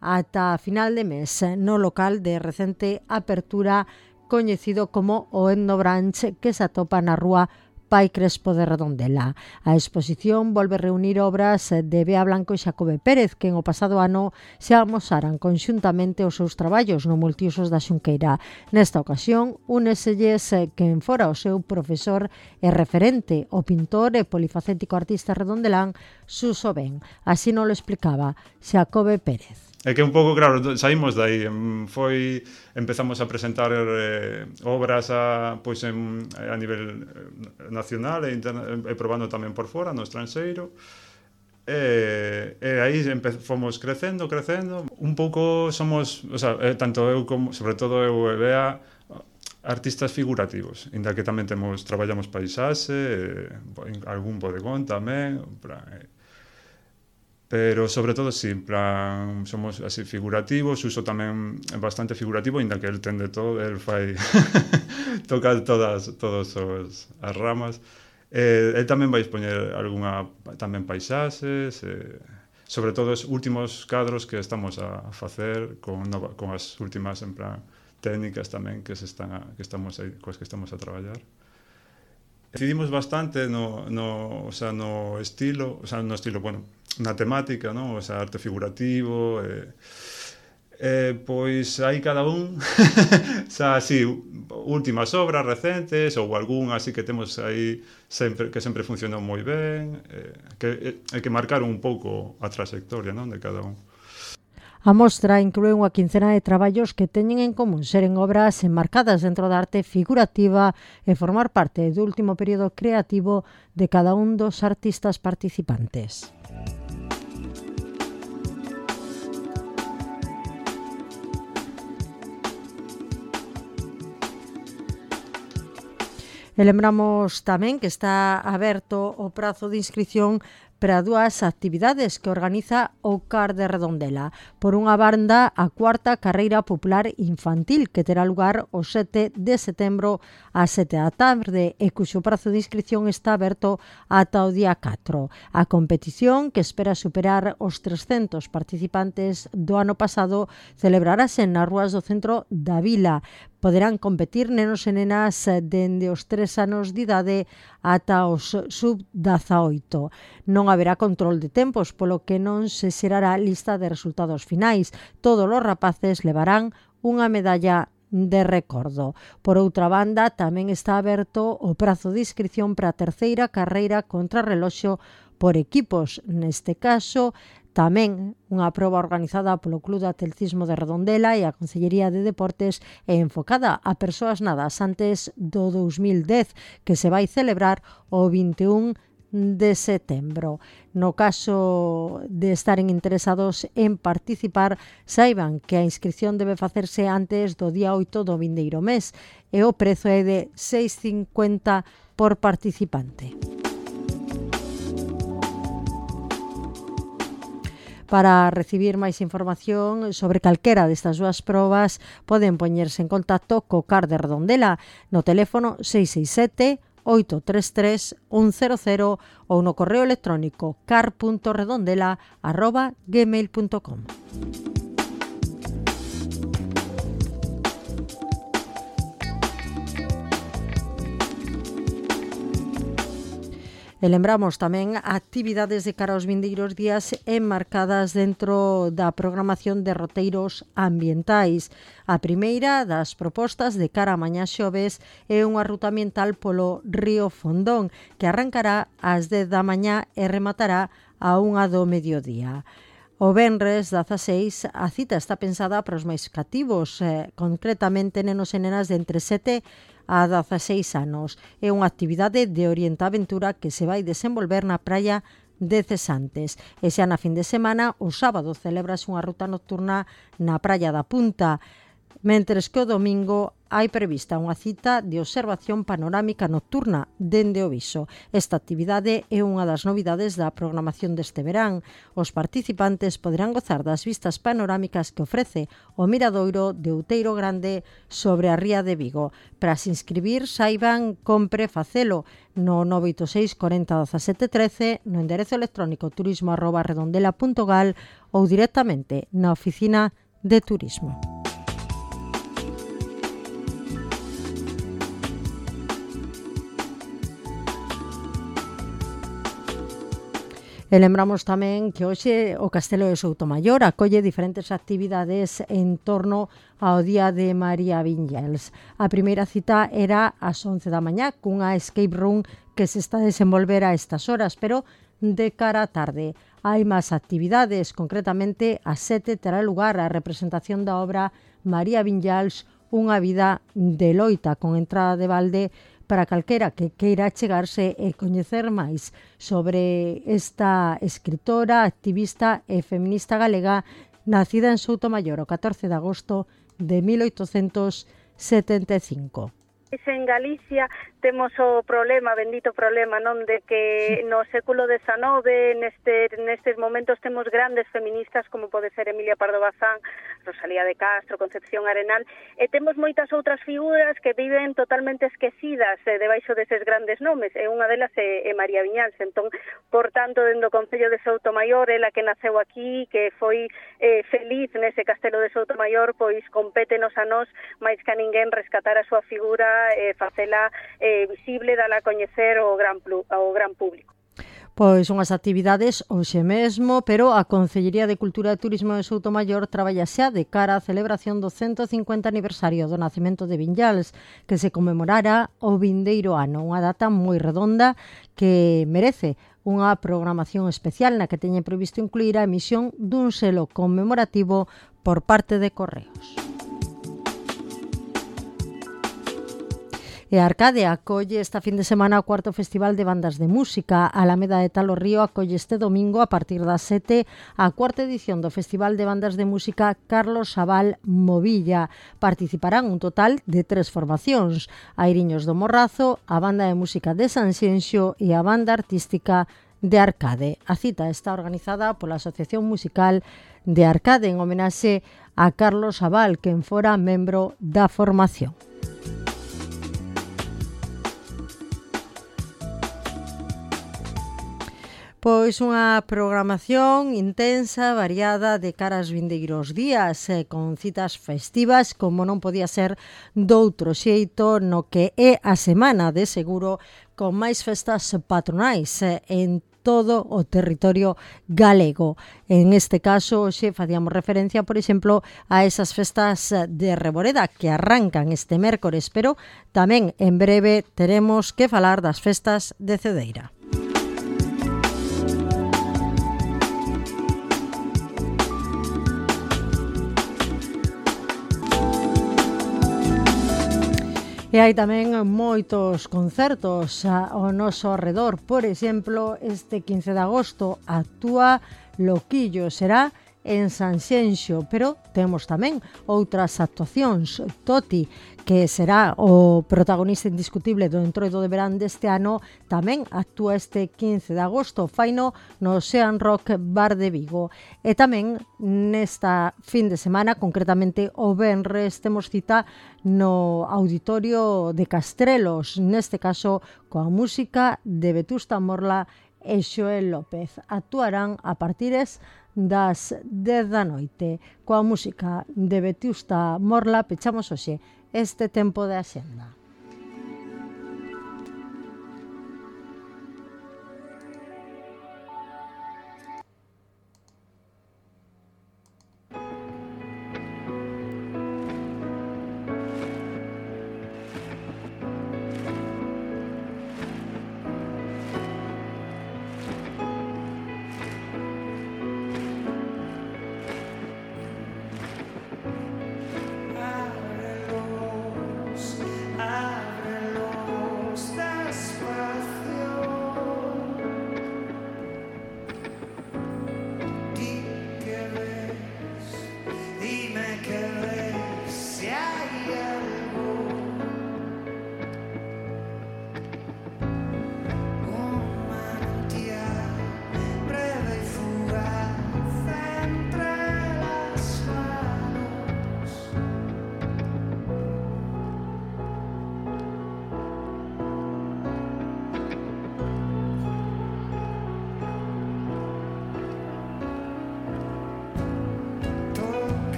ata final de mes no local de recente apertura coñecido como o Etno Branch, que se atopa na rúa Pai Crespo de Redondela. A exposición volve reunir obras de Bea Blanco e Xacobe Pérez, que en o pasado ano se amosaran conxuntamente os seus traballos no Multiusos da Xunqueira. Nesta ocasión, úneselles quen fora o seu profesor e referente, o pintor e polifacético artista redondelán Suso Ben. Así non lo explicaba Xacobe Pérez. É que un pouco, claro, saímos dai, empezamos a presentar obras a nivel nacional e probando tamén por fora, no estranxeiro, e aí fomos crecendo, un pouco somos, o sea, tanto eu como, sobre todo eu e Bea, artistas figurativos, inda que tamén traballamos paisaxe, algún bodegón tamén, pero sobre todo sí, en plan, somos así figurativos. Uso tamén bastante figurativo, inda que el ten de todo, el fai toca todas as ramas. El tamén vai expoñer algunha tamén paisaxes, sobre todo os últimos cadros que estamos a facer con as últimas en plan técnicas tamén que estamos a traballar. Decidimos bastante no estilo, bueno, na temática, ¿no? O sea, arte figurativo, pois aí cada un o sea, así, últimas obras recentes ou algún así que temos aí que sempre funcionou moi ben, que marcaron un pouco a trayectoria, ¿no? De cada un. A mostra inclúe unha quincena de traballos que teñen en común seren obras enmarcadas dentro da arte figurativa e formar parte do último período creativo de cada un dos artistas participantes. E lembramos tamén que está aberto o prazo de inscripción para dúas actividades que organiza o CAR de Redondela. Por unha banda, a cuarta carreira popular infantil que terá lugar o 7 de setembro a 7 da tarde e cuxo prazo de inscripción está aberto ata o día 4. A competición, que espera superar os 300 participantes do ano pasado, celebrarase nas rúas do centro da vila. Poderán competir nenos e nenas dende os 3 anos de idade ata os sub-18. Non haberá control de tempos, polo que non se xerará lista de resultados finais. Todos os rapaces levarán unha medalla de recordo. Por outra banda, tamén está aberto o prazo de inscripción para a terceira carreira contra reloxo por equipos. Neste caso, Tamén unha proba organizada polo Club de Atletismo de Redondela e a Consellería de Deportes e enfocada a persoas nadas antes do 2010, que se vai celebrar o 21 de setembro. No caso de estaren interesados en participar, saiban que a inscripción debe facerse antes do día 8 do vindeiro mes e o prezo é de 6,50 por participante. Para recibir máis información sobre calquera destas dúas probas, poden poñerse en contacto co CAR de Redondela no teléfono 667 833 100 ou no correo electrónico car.redondela@gmail.com. E lembramos tamén actividades de cara aos vindeiros días enmarcadas dentro da programación de roteiros ambientais. A primeira das propostas de cara a mañá xoves é unha ruta ambiental polo río Fondón, que arrancará ás 10 da mañá e rematará a 1 do mediodía. O venres 16 a cita está pensada para os máis cativos, concretamente nenos e nenas de entre 7 a 16 anos. É unha actividade de orientaventura que se vai desenvolver na praia de Cesantes. E xa na fin de semana, o sábado, celebrase unha ruta nocturna na praia da Punta, mentres que o domingo hai prevista unha cita de observación panorámica nocturna dende o Viso. Esta actividade é unha das novidades da programación deste verán. Os participantes poderán gozar das vistas panorámicas que ofrece o miradoiro de Outeiro Grande sobre a ría de Vigo. Para se inscribir, saiban compre facelo no 986 40 17 13, no enderezo electrónico turismo@redondela.gal ou directamente na oficina de turismo. E lembramos tamén que hoxe o Castelo de Soutomaior acolle diferentes actividades en torno ao Día de María Viñals. A primeira cita era ás 11 da mañá cunha escape room que se está a desenvolver a estas horas, pero de cara á tarde. Hai máis actividades, concretamente ás 7 terá lugar a representación da obra María Viñals, unha vida de loita, con entrada de balde para calquera que queira chegarse e coñecer máis sobre esta escritora, activista e feminista galega nacida en Soutomaior o 14 de agosto de 1875. En Galicia temos o problema, bendito problema, non, de que no século XIX nestes momentos temos grandes feministas como pode ser Emilia Pardo Bazán, Rosalía de Castro, Concepción Arenal, e temos moitas outras figuras que viven totalmente esquecidas debaixo deses grandes nomes, e unha delas é María Viñals. Entón, por tanto, dentro do Concello de Soutomaior, ela que naceu aquí, que foi feliz nese castelo de Soutomaior, pois compétenos a nós máis que a ninguén rescatar a súa figura e facela visible, dala a coñecer ao gran público. Pois unhas actividades hoxe mesmo, pero a Consellería de Cultura e Turismo de Soutomaior traballa xa de cara á celebración do 150 aniversario do nacemento de Viñals, que se conmemorará o vindeiro ano, unha data moi redonda que merece unha programación especial na que teñen previsto incluir a emisión dun selo conmemorativo por parte de Correos. E Arcade acolle esta fin de semana o cuarto Festival de Bandas de Música. A Alameda de Talo Río acolle este domingo a partir das 7 a cuarta edición do Festival de Bandas de Música Carlos Sabal Movilla. Participarán un total de 3 formacións: Airiños do Morrazo, a Banda de Música de Sanxenxo e a Banda Artística de Arcade. A cita está organizada pola Asociación Musical de Arcade en homenaxe a Carlos Sabal, quen fora membro da formación. Pois unha programación intensa, variada, de cara aos vindeiros días, con citas festivas, como non podía ser doutro xeito, no que é a semana de seguro, con máis festas patronais en todo o territorio galego. En este caso, hoxe facíamos referencia, por exemplo, a esas festas de Reboreda que arrancan este mércores, pero tamén en breve teremos que falar das festas de Cedeira. E hai tamén moitos concertos ao noso arredor. Por exemplo, este 15 de agosto actúa Loquillo, será en Sanxenxo, pero temos tamén outras actuacións. Toti, que será o protagonista indiscutible do Entroido de Verán deste ano, tamén actúa este 15 de agosto, faino no Ocean Rock Bar de Vigo. E tamén nesta fin de semana, concretamente o venres, temos cita no Auditorio de Castrelos, neste caso coa música de Vetusta Morla e Xoel López. Actuarán a partires das 10 da noite. Coa música de Vetusta Morla pechamos hoxe este tempo de axenda.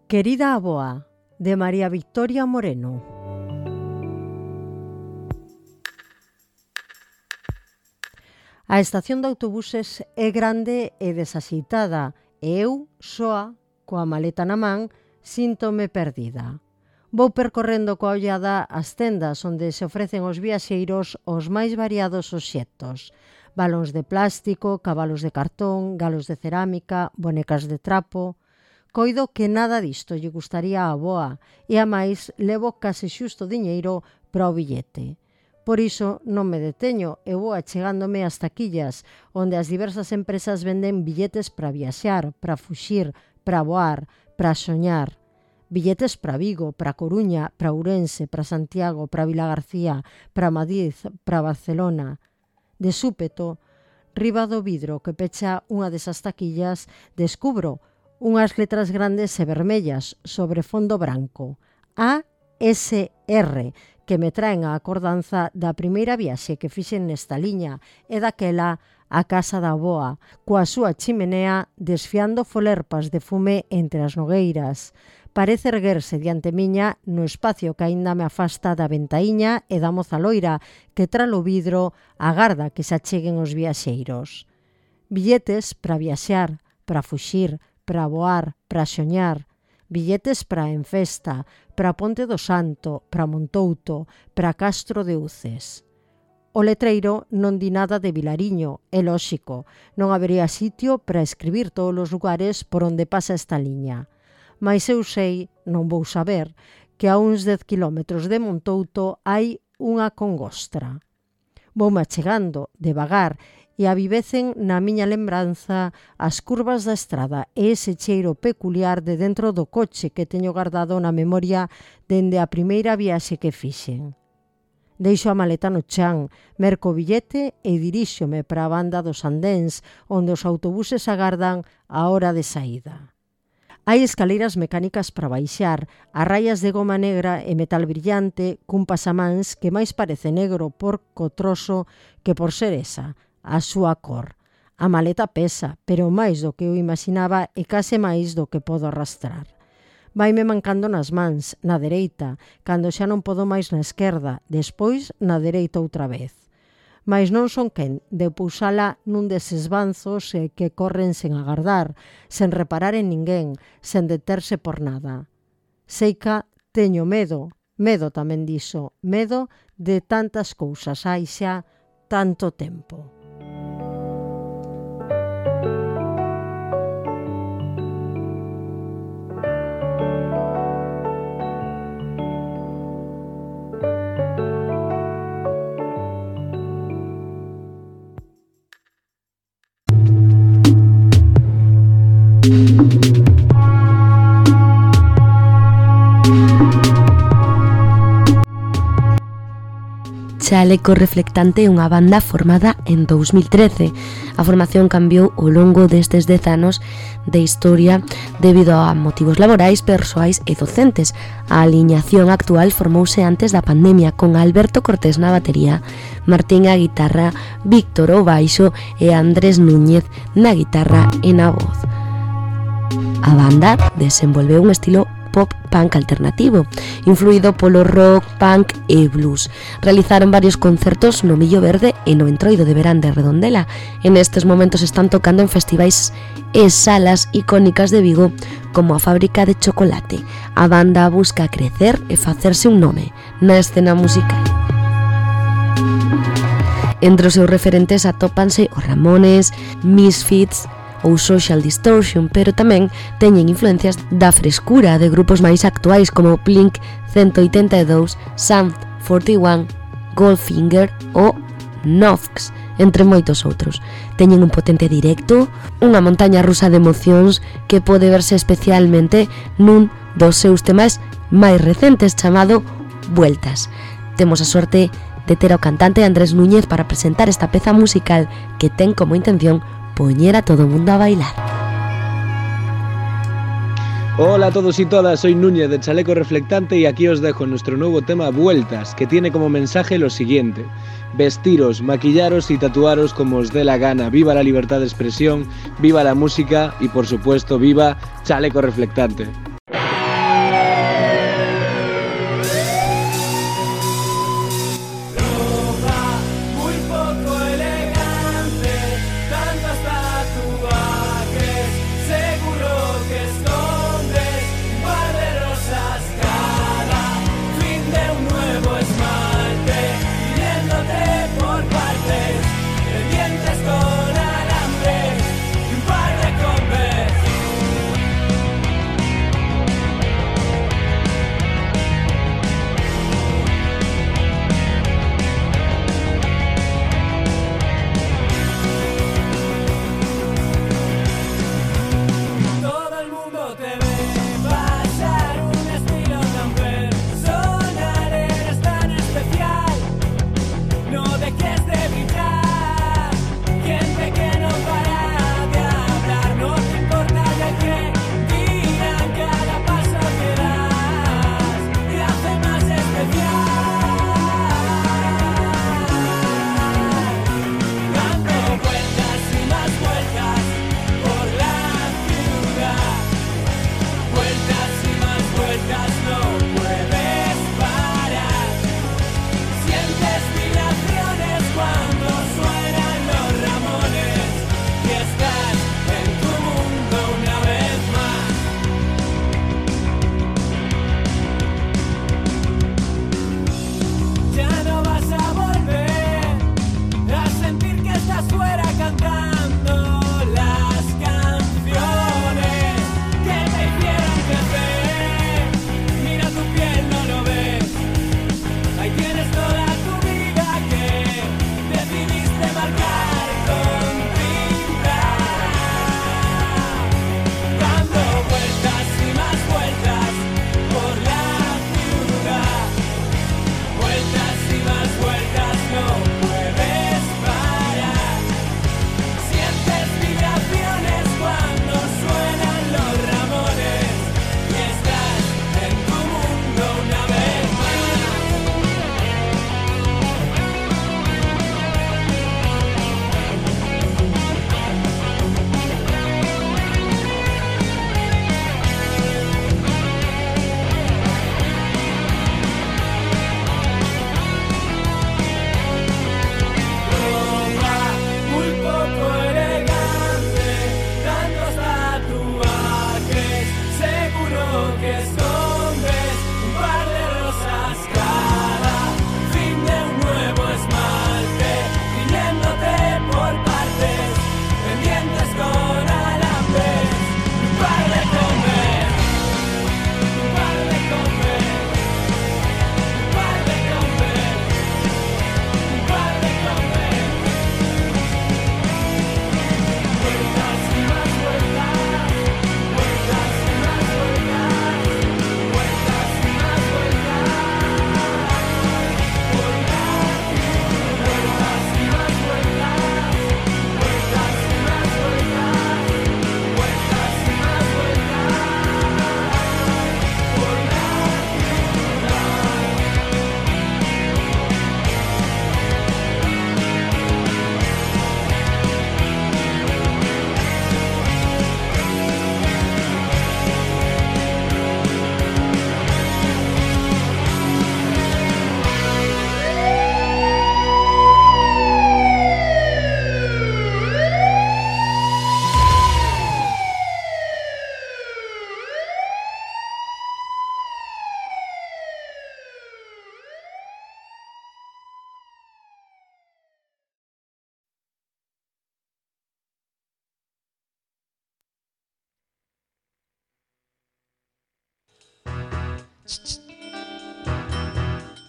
Querida Aboa, de María Victoria Moreno. A estación de autobuses é grande e desaxeitada e eu, soa, coa maleta na man, síntome perdida. Vou percorrendo coa ollada as tendas onde se ofrecen aos viaxeiros os máis variados obxectos. Balóns de plástico, cabalos de cartón, galos de cerámica, bonecas de trapo. Coido que nada disto lle gustaría á avoa e, a máis, levo case xusto diñeiro para o billete. Por iso non me deteño e vou achegándome ás taquillas, onde as diversas empresas venden billetes para viaxar, para fuxir, para voar, para soñar. Billetes para Vigo, para Coruña, para Ourense, para Santiago, para Vilagarcía, para Madrid, para Barcelona. De súpeto, riba do vidro que pecha unha desas taquillas, descubro unhas letras grandes e vermellas sobre fondo branco. ASR, que me traen a acordanza da primeira viaxe que fixen nesta liña e daquela a casa da avoa, coa súa chimenea desfiando folerpas de fume entre as nogueiras. Parece erguerse diante miña no espacio que aínda me afasta da ventaíña e da moza loira que tralo vidro agarda que se acheguen os viaxeiros. Billetes para viaxar, para fuxir, para voar, para soñar. Billetes para en festa, para Ponte do Santo, para Montouto, para Castro de Uces. O letreiro non di nada de Vilariño, é lóxico, non habería sitio para escribir todos os lugares por onde pasa esta liña. Mais eu sei, non vou saber, que a uns 10 kilómetros de Montouto hai unha congostra. Voume achegando, devagar, e avivecen na miña lembranza as curvas da estrada e ese cheiro peculiar de dentro do coche que teño guardado na memoria dende a primeira viaxe que fixen. Deixo a maleta no chan, merco o billete e diríxome para a banda dos andéns, onde os autobuses agardan a hora de saída. Hai escaleiras mecánicas para baixar, a raias de goma negra e metal brillante, cun pasamáns que máis parece negro por cotroso que por ser esa, a súa cor. A maleta pesa, pero máis do que eu imaginaba e case máis do que podo arrastrar. Vaime mancando nas mans, na dereita, cando xa non podo máis na esquerda, despois na dereita outra vez. Mais non son quen de pousala nun deses banzos que corren sen agardar, sen reparar en ninguén, sen deterse por nada. Seica teño medo tamén diso, medo de tantas cousas hai xa tanto tempo. Chaleco Reflectante é unha banda formada en 2013. A formación cambiou ao longo destes 10 anos de historia debido a motivos laborais, persoais e docentes. A aliñación actual formouse antes da pandemia con Alberto Cortés na batería, Martín á guitarra, Víctor ao baixo e Andrés Núñez na guitarra e na voz. A banda desenvolveu un estilo pop-punk alternativo, influído polo rock, punk e blues. Realizaron varios concertos no Millo Verde e no Entroido de Verán de Redondela. En estes momentos están tocando en festivais e salas icónicas de Vigo como a Fábrica de Chocolate. A banda busca crecer e facerse un nome na escena musical. Entre os seus referentes atópanse os Ramones, Misfits ou Social Distortion, pero tamén teñen influencias da frescura de grupos máis actuais como Blink 182, Sum 41, Goldfinger ou Nox, entre moitos outros. Teñen un potente directo, unha montaña rusa de emocións que pode verse especialmente nun dos seus temas máis recentes chamado Vueltas. Temos a sorte de ter ao cantante Andrés Núñez para presentar esta peza musical que ten como intención poñer a todo o mundo a bailar. Hola a todos y todas, soy Núñez de Chaleco Reflectante y aquí os dejo nuestro nuevo tema Vueltas, que tiene como mensaje lo siguiente: vestiros, maquillaros y tatuaros como os dé la gana, viva la libertad de expresión, viva la música y por supuesto viva Chaleco Reflectante.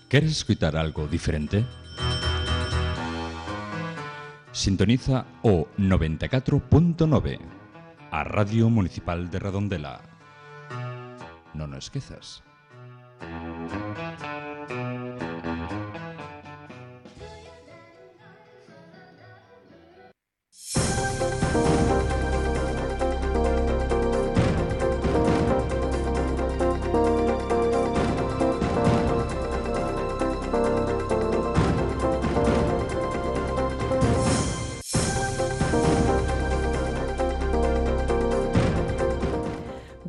¿Queres escuchar algo diferente? Sintoniza o 94.9, a Radio Municipal de Redondela. Non o esquezas.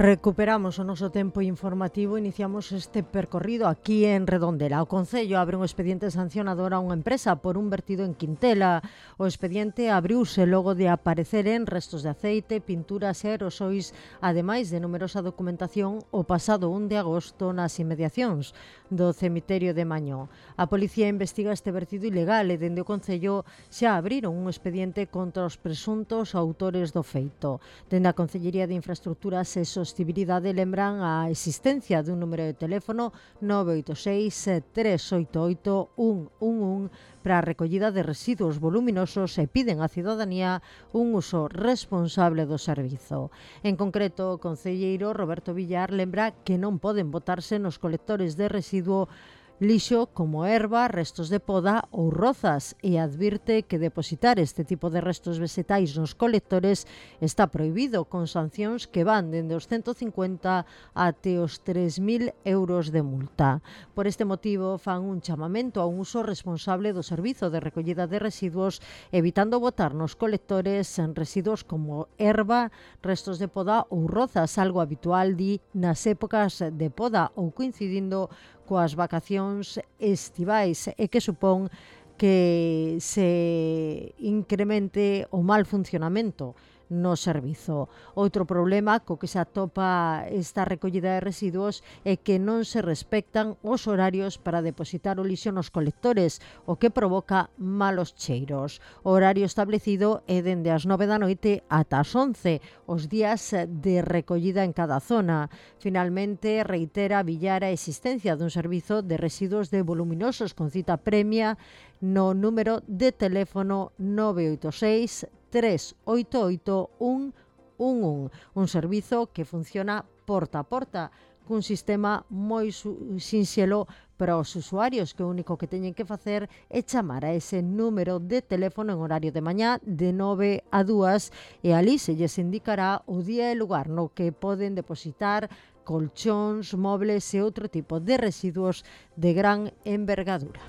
Recuperamos o noso tempo informativo e iniciamos este percorrido aquí en Redondela. O Concello abre un expediente sancionador a unha empresa por un vertido en Quintela. O expediente abriuse logo de aparecer en restos de aceite, pinturas e aerosois, ademais de numerosa documentación o pasado 1 de agosto nas inmediacións do cemiterio de Mañó. A policía investiga este vertido ilegal e dende o Concello xa abriron un expediente contra os presuntos autores do feito. Dende a Concellería de Infraestructuras e Sostibilidade lembran a existencia dun número de teléfono 986-388-111 para a recollida de residuos voluminosos e piden á cidadanía un uso responsable do servizo. En concreto, o concelleiro Roberto Villar lembra que non poden botarse nos colectores de residuo lixo como erva, restos de poda ou rozas e advirte que depositar este tipo de restos vegetais nos colectores está prohibido, con sancións que van dende os 150 até os 3.000 euros de multa. Por este motivo, fan un chamamento a un uso responsable do servizo de recollida de residuos, evitando botar nos colectores en residuos como erva, restos de poda ou rozas, algo habitual nas épocas de poda ou coincidindo coas vacacións estivais e que supón que se incremente o mal funcionamento no servizo. Outro problema co que se atopa esta recollida de residuos é que non se respectan os horarios para depositar o lixo nos colectores, o que provoca malos cheiros. O horario establecido é dende as 9 da noite ata as 11, os días de recollida en cada zona. Finalmente, reitera Villar a existencia dun servizo de residuos de voluminosos con cita premia no número de teléfono 986-388-111, un servizo que funciona porta a porta, cun sistema moi sinxelo para os usuarios, que o único que teñen que facer é chamar a ese número de teléfono en horario de mañá de 9 a 2 e ali se lles indicará o día e lugar no que poden depositar colchóns, mobles e outro tipo de residuos de gran envergadura.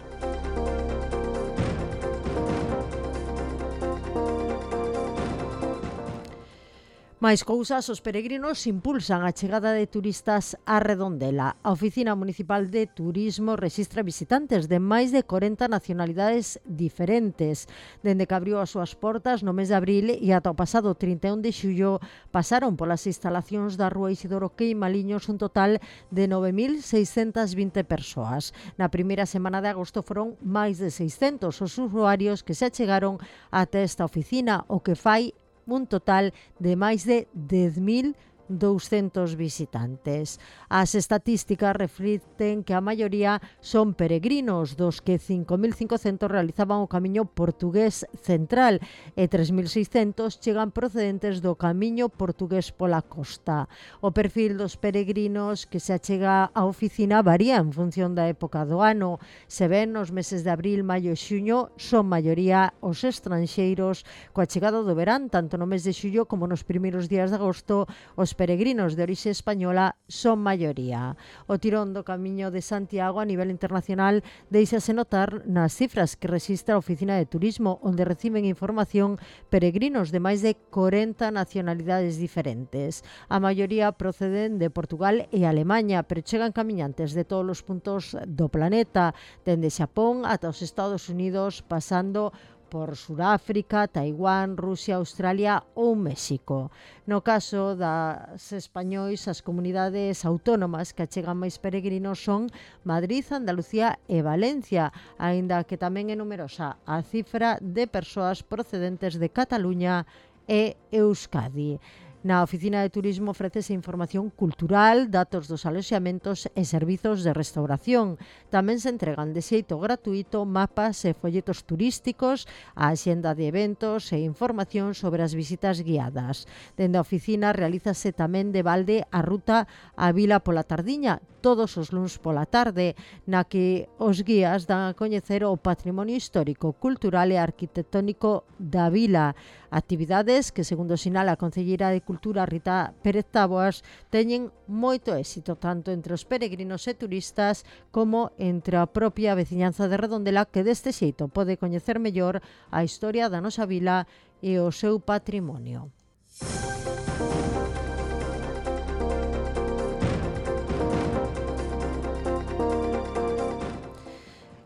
Máis cousas, os peregrinos impulsan a chegada de turistas a Redondela. A Oficina Municipal de Turismo rexistra visitantes de máis de 40 nacionalidades diferentes. Dende que abriu as súas portas no mes de abril e ata o pasado 31 de xullo pasaron polas instalacións da Rúa Isidoro Queimaliños un total de 9.620 persoas. Na primeira semana de agosto foron máis de 600 os usuarios que se achegaron ata esta oficina, o que fai un total de máis de 10.200 visitantes. As estatísticas reflicten que a maioría son peregrinos, dos que 5.500 realizaban o camiño portugués central e 3.600 chegan procedentes do camiño portugués pola costa. O perfil dos peregrinos que se achega á oficina varía en función da época do ano. Se ven nos meses de abril, maio e xuño, son maioría os estranxeiros. Coa chegada do verán, tanto no mes de xullo como nos primeiros días de agosto, os peregrinos de orixe española son maioría. O tirón do Camiño de Santiago a nivel internacional deixase notar nas cifras que rexistra a Oficina de Turismo, onde reciben información peregrinos de máis de 40 nacionalidades diferentes. A maioría proceden de Portugal e Alemaña, pero chegan camiñantes de todos os puntos do planeta, dende Xapón ata os Estados Unidos, pasando por Suráfrica, Taiwán, Rusia, Australia ou México. No caso das españois, as comunidades autónomas que achegan máis peregrinos son Madrid, Andalucía e Valencia, aínda que tamén é numerosa a cifra de persoas procedentes de Cataluña e Euskadi. Na Oficina de Turismo ofrécese información cultural, datos dos aloxamentos e servizos de restauración. Tamén se entregan de xeito gratuito mapas e folletos turísticos, a axenda de eventos e información sobre as visitas guiadas. Dende a oficina realízase tamén de balde a ruta á Vila pola tardiña, todos os luns pola tarde, na que os guías dan a coñecer o patrimonio histórico, cultural e arquitectónico da vila. Actividades que, segundo sinala a concelleira de Cultura Rita Pérez Táboas, teñen moito éxito tanto entre os peregrinos e turistas como entre a propia veciñanza de Redondela, que deste xeito pode coñecer mellor a historia da nosa vila e o seu patrimonio.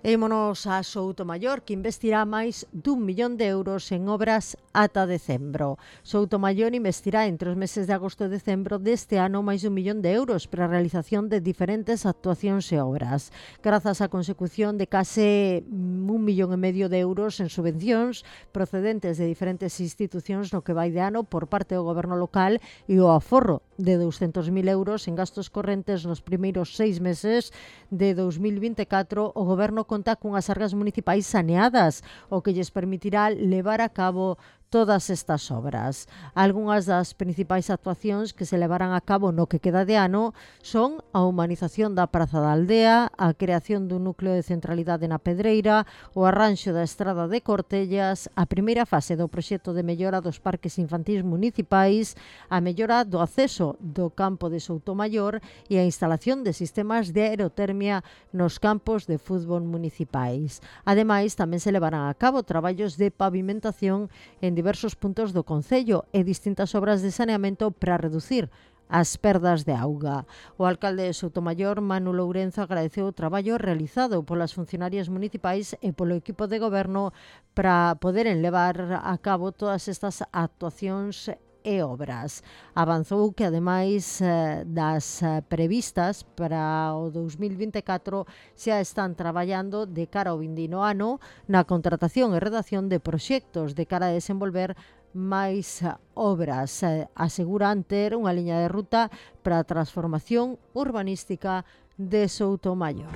Émonos a Soutomaior, que investirá máis d'1 millón de euros en obras ata decembro. Soutomaior investirá entre os meses de agosto e decembro deste ano máis d'1 millón de euros para a realización de diferentes actuacións e obras. Grazas á consecución de case 1,5 millón de euros en subvencións procedentes de diferentes institucións no que vai de ano por parte do goberno local e o aforro de 200.000 euros en gastos correntes nos primeiros 6 meses de 2024, o goberno conta cunhas arcas municipais saneadas, o que lles permitirá levar a cabo todas estas obras. Algunhas das principais actuacións que se levarán a cabo no que queda de ano son a humanización da Praza da Aldea, a creación dun núcleo de centralidade na Pedreira, o arranxo da Estrada de Cortellas, a primeira fase do proxecto de mellora dos parques infantís municipais, a mellora do acceso do campo de Soutomaior e a instalación de sistemas de aerotermia nos campos de fútbol municipais. Ademais, tamén se levarán a cabo traballos de pavimentación en diversos puntos do concello e distintas obras de saneamento para reducir as perdas de auga. O alcalde de Soutomaior, Manu Lourenzo, agradeceu o traballo realizado polas funcionarias municipais e polo equipo de goberno para poderen levar a cabo todas estas actuacións e obras. Avanzou que, ademais das previstas para o 2024, xa están traballando de cara ao vindino ano na contratación e redacción de proxectos de cara a desenvolver máis obras. Aseguran ter unha liña de ruta para a transformación urbanística de Soutomaior.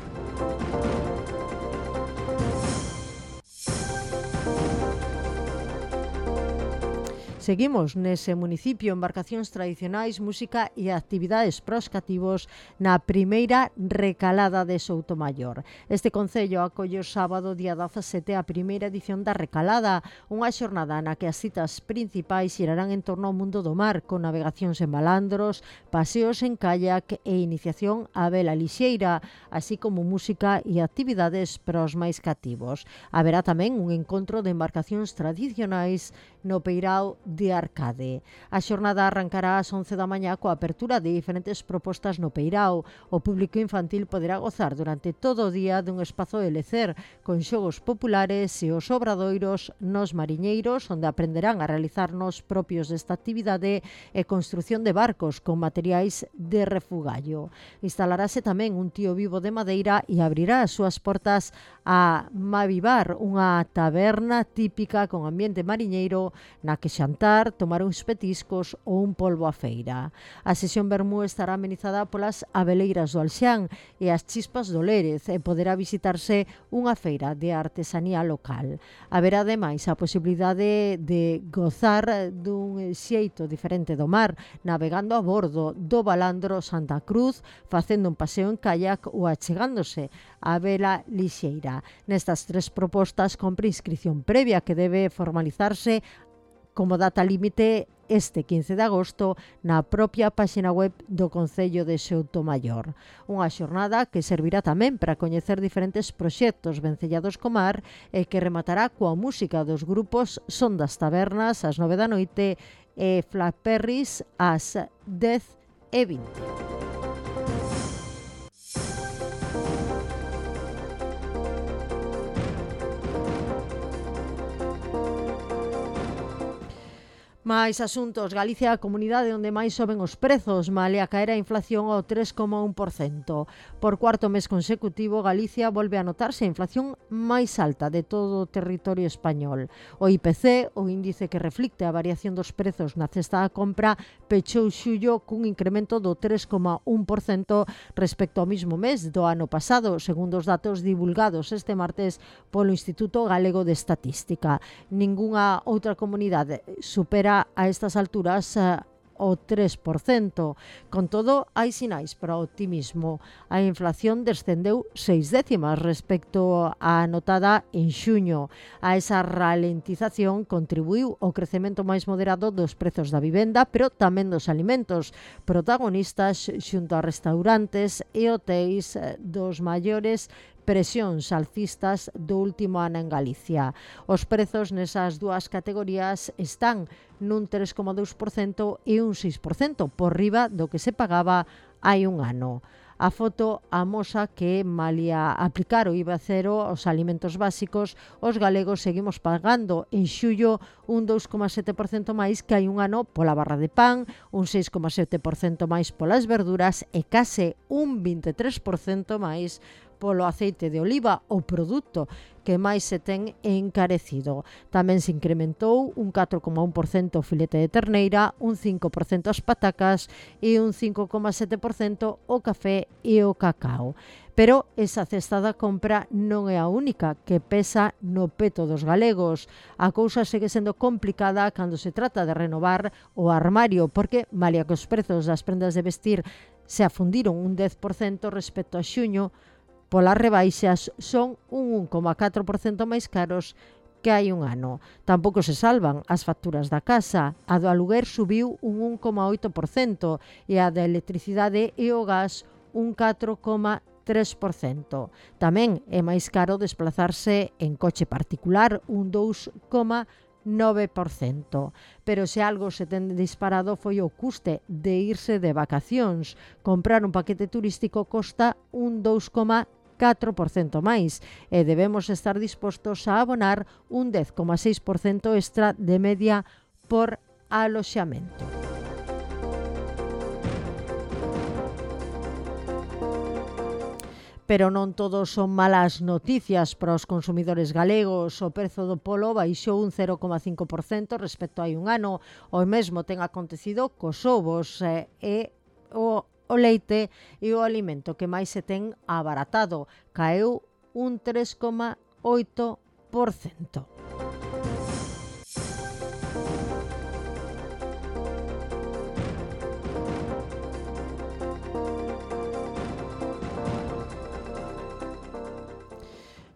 Seguimos nese municipio, embarcacións tradicionais, música e actividades pros cativos na primeira recalada de Soutomaior. Este concello acolle o sábado, día 17, a primeira edición da recalada, unha xornada na que as citas principais xirarán en torno ao mundo do mar, con navegacións en balandros, paseos en kayak e iniciación á vela lixeira, así como música e actividades pros máis cativos. Haberá tamén un encontro de embarcacións tradicionais no Peirao de Arcade. A xornada arrancará ás 11 da mañá coa apertura de diferentes propostas no Peirao. O público infantil poderá gozar durante todo o día dun espazo de lecer con xogos populares e os obradoiros nos mariñeiros, onde aprenderán a realizar nos propios desta actividade e construción de barcos con materiais de refugallo. Instalarase tamén un tío vivo de madeira e abrirá as súas portas a Mavivar, unha taberna típica con ambiente mariñeiro na que xantar, tomar uns petiscos ou un polvo á feira. A sesión vermú estará amenizada polas abeleiras do Alxán e as chispas do Lérez e poderá visitarse unha feira de artesanía local. Haberá ademais a posibilidade de gozar dun xeito diferente do mar, navegando a bordo do balandro Santa Cruz, facendo un paseo en kayak ou achegándose á vela lixeira. Nestas tres propostas compre inscripción previa que debe formalizarse como data límite este 15 de agosto na propia páxina web do Concello de Soutomaior. Unha xornada que servirá tamén para coñecer diferentes proxectos vencellados co mar e que rematará coa música dos grupos Son das Tabernas ás 9 da noite e Flaperris ás 10:20. Máis asuntos, Galicia é a comunidade onde máis soben os prezos, malia caer a inflación ao 3,1%. Por cuarto mes consecutivo, Galicia volve a notarse a inflación máis alta de todo o territorio español. O IPC, o índice que reflicte a variación dos prezos na cesta da compra, pechou xullo cun incremento do 3,1% respecto ao mismo mes do ano pasado, segundo os datos divulgados este martes polo Instituto Galego de Estatística. Ningunha outra comunidade supera a estas alturas o 3%. Con todo, hai sinais para o optimismo. A inflación descendeu 6 décimas respecto á anotada en xuño. A esa ralentización contribuiu o crecemento máis moderado dos prezos da vivenda, pero tamén dos alimentos, protagonistas xunto a restaurantes e hotéis dos maiores presións alcistas do último ano en Galicia. Os prezos nesas dúas categorías están nun 3,2% e un 6% por riba do que se pagaba hai un ano. A foto amosa que, malia aplicar o IVA cero aos alimentos básicos, os galegos seguimos pagando en xullo un 2,7% máis que hai un ano pola barra de pan, un 6,7% máis polas verduras e case un 23% máis polo aceite de oliva, o produto que máis se ten encarecido. Tamén se incrementou un 4,1% o filete de terneira, un 5% as patacas e un 5,7% o café e o cacao. Pero esa cesta da compra non é a única que pesa no peto dos galegos. A cousa segue sendo complicada cando se trata de renovar o armario, porque, malia que os prezos das prendas de vestir se afundiron un 10% respecto a xuño, polas rebaixas son un 1,4% máis caros que hai un ano. Tampouco se salvan as facturas da casa. A do aluguer subiu un 1,8% e a da electricidade e o gas un 4,3%. Tamén é máis caro desplazarse en coche particular, un 2,9%. Pero se algo se ten disparado foi o custe de irse de vacacións. Comprar un paquete turístico costa un 2,4% máis e debemos estar dispostos a abonar un 10,6% extra de media por aloxamento. Pero non todos son malas noticias para os consumidores galegos. O prezo do polo baixou un 0,5% respecto a hai un ano. O mesmo ten acontecido cos ovos e o leite e o alimento que máis se ten abaratado. Caeu un 3,8%.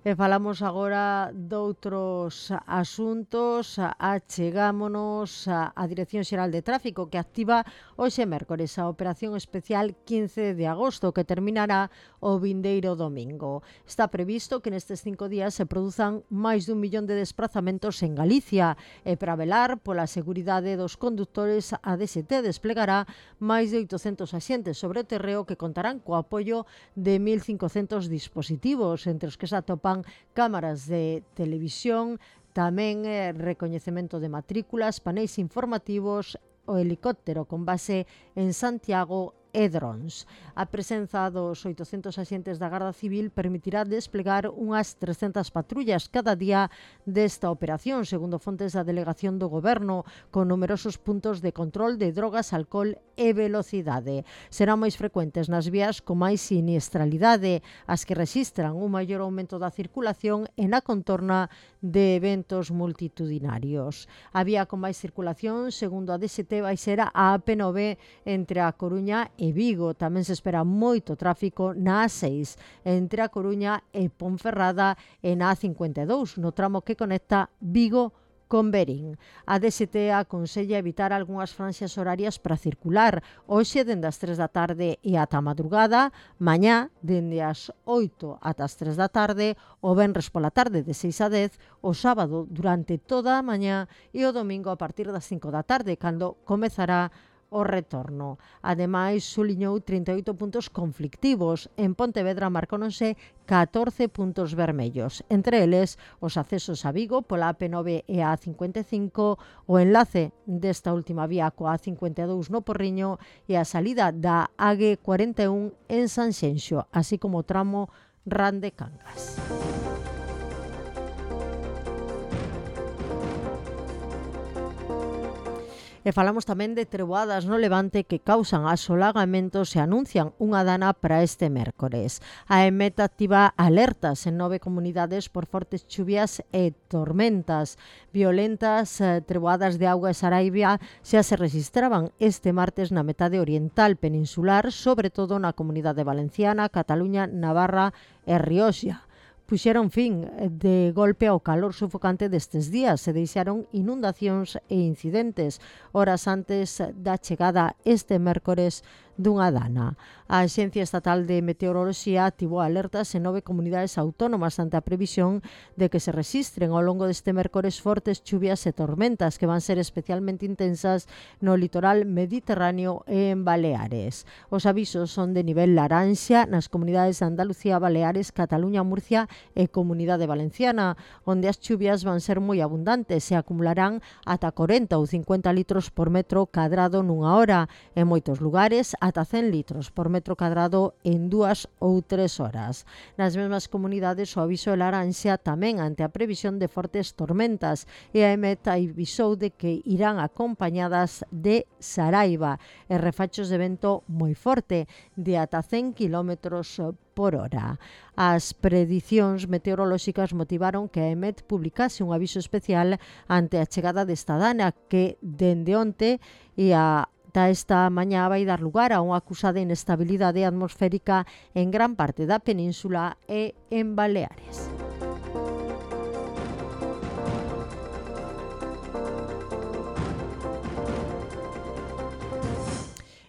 E falamos agora doutros asuntos. Achegámonos á Dirección Xeral de Tráfico, que activa hoxe mércores a Operación Especial 15 de agosto, que terminará o vindeiro domingo. Está previsto que nestes 5 días se produzan máis dun millón de desplazamentos en Galicia e para velar pola seguridade dos condutores, a DST desplegará máis de 800 axentes sobre o terreo que contarán co apoio de 1.500 dispositivos, entre os que se atopan cámaras de televisión, tamén recoñecemento de matrículas, paneis informativos, o helicóptero con base en Santiago e drons. A presenza dos 800 axentes da Garda Civil permitirá desplegar unhas 300 patrullas cada día desta operación, segundo fontes da Delegación do Goberno, con numerosos puntos de control de drogas, alcohol e velocidade. Serán máis frecuentes nas vías con máis siniestralidade, as que rexistran un maior aumento da circulación e na contorna de eventos multitudinarios. A vía con máis circulación, segundo a DST, vai ser a AP9 entre a Coruña e Vigo. Tamén se espera moito tráfico na A6 entre a Coruña e Ponferrada e na A52 no tramo que conecta Vigo con Berín. A DST aconsella evitar algunhas franxas horarias para circular, hoxe dende as 3 da tarde e ata a madrugada, mañá dende as 8 ata as 3 da tarde, o venres pola tarde de 6 a 10, o sábado durante toda a mañá e o domingo a partir das 5 da tarde, cando comezará o retorno. Ademais, suliñou 38 puntos conflictivos. En Pontevedra marcóronse 14 puntos vermellos. Entre eles, os accesos a Vigo pola AP9 e a A55, o enlace desta última vía coa A52 no Porriño e a salida da AG41 en Sanxenxo, así como o tramo Rande Cangas. E falamos tamén de treboadas no Levante que causan asolagamentos e anuncian unha dana para este mércores. A EMET activa alertas en 9 comunidades por fortes chuvias e tormentas. Violentas treboadas de auga e Saraiva xa se registraban este martes na metade oriental peninsular, sobre todo na Comunidade Valenciana, Cataluña, Navarra e Rioxa. Puxeron fin de golpe ao calor sufocante destes días e deixaron inundacións e incidentes horas antes da chegada este mércores dunha dana. A Axencia Estatal de Meteoroloxía activou alertas en 9 comunidades autónomas ante a previsión de que se rexistren ao longo deste mércores fortes chuvias e tormentas que van ser especialmente intensas no litoral mediterráneo e en Baleares. Os avisos son de nivel laranxa nas comunidades de Andalucía, Baleares, Cataluña, Murcia e Comunidade Valenciana, onde as chuvias van ser moi abundantes e acumularán ata 40 ou 50 litros por metro cadrado nunha hora. En moitos lugares, ata 100 litros por metro cadrado en 2 ou 3 horas. Nas mesmas comunidades, o aviso é laranxa tamén ante a previsión de fortes tormentas e a EMET avisou de que irán acompañadas de Saraiva e refachos de vento moi forte de ata 100 km por hora. As predicións meteorolóxicas motivaron que a EMET publicase un aviso especial ante a chegada desta dana que dende onte e esta mañá vai dar lugar a unha acusada inestabilidade atmosférica en gran parte da península e en Baleares.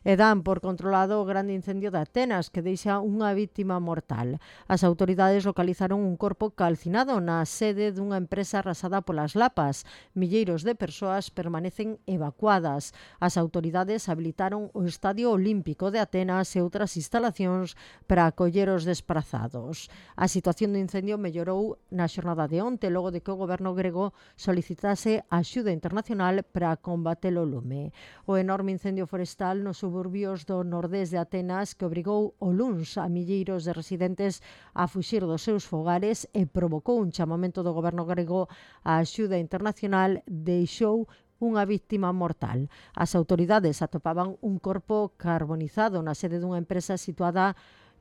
E dan por controlado o grande incendio de Atenas que deixa unha vítima mortal. As autoridades localizaron un corpo calcinado na sede dunha empresa arrasada polas lapas. Milleiros de persoas permanecen evacuadas. As autoridades habilitaron o Estadio Olímpico de Atenas e outras instalacións para acoller os desprazados. A situación do incendio mellorou na xornada de onte, logo de que o goberno grego solicitase axuda internacional para combater o lume. O enorme incendio forestal nos suburbios do nordés de Atenas que obrigou o luns a milleiros de residentes a fuxir dos seus fogares e provocou un chamamento do goberno grego á axuda internacional, deixou unha vítima mortal. As autoridades atopaban un corpo carbonizado na sede dunha empresa situada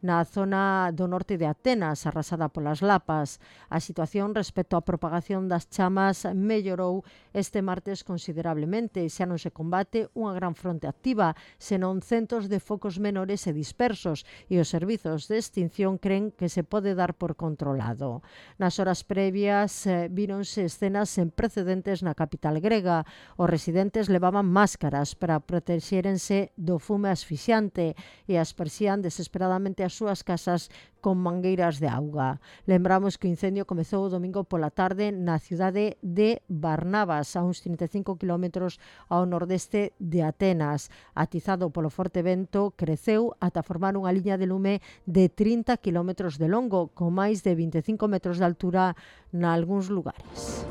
na zona do norte de Atenas, arrasada polas lapas. A situación respecto á propagación das chamas mellorou este martes considerablemente. Xa non se combate unha gran fronte activa, senón centos de focos menores e dispersos, e os servizos de extinción creen que se pode dar por controlado. Nas horas previas víronse escenas sen precedentes na capital grega. Os residentes levaban máscaras para protexérense do fume asfixiante e aspersían desesperadamente as súas casas con mangueiras de auga. Lembramos que o incendio comezou o domingo pola tarde na cidade de Barnabas, a uns 35 km ao nordeste de Atenas. Atizado polo forte vento, creceu ata formar unha liña de lume de 30 km de longo, con máis de 25 metros de altura nalgúns lugares.